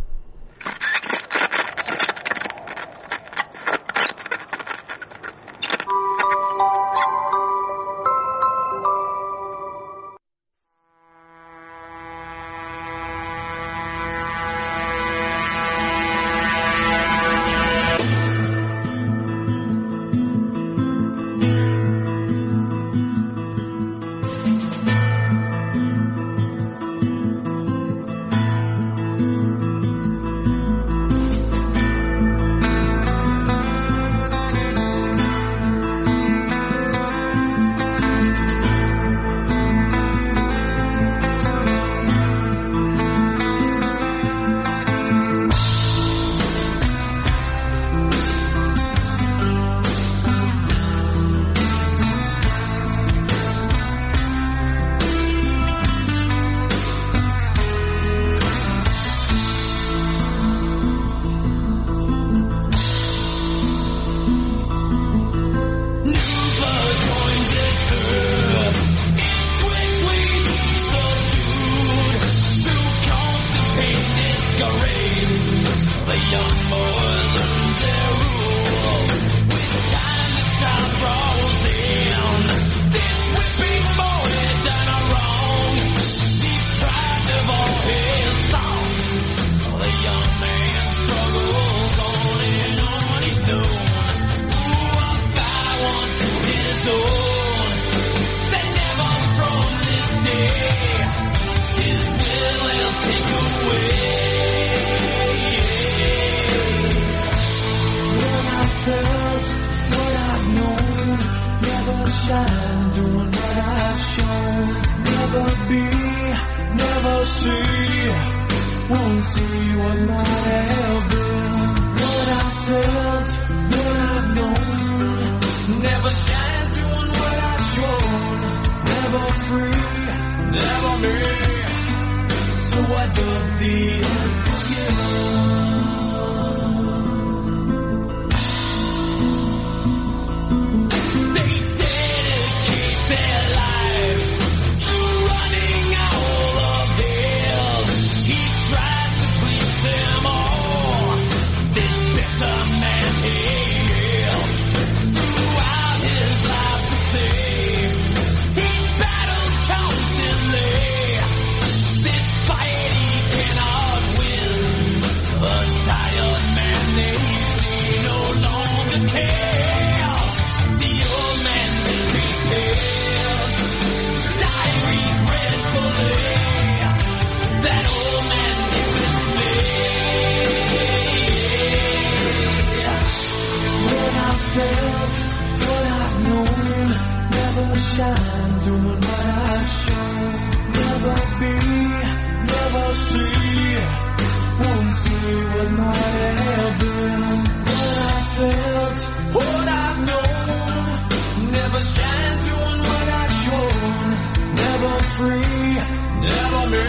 Never me,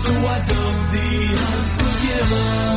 so I don't be unforgiven.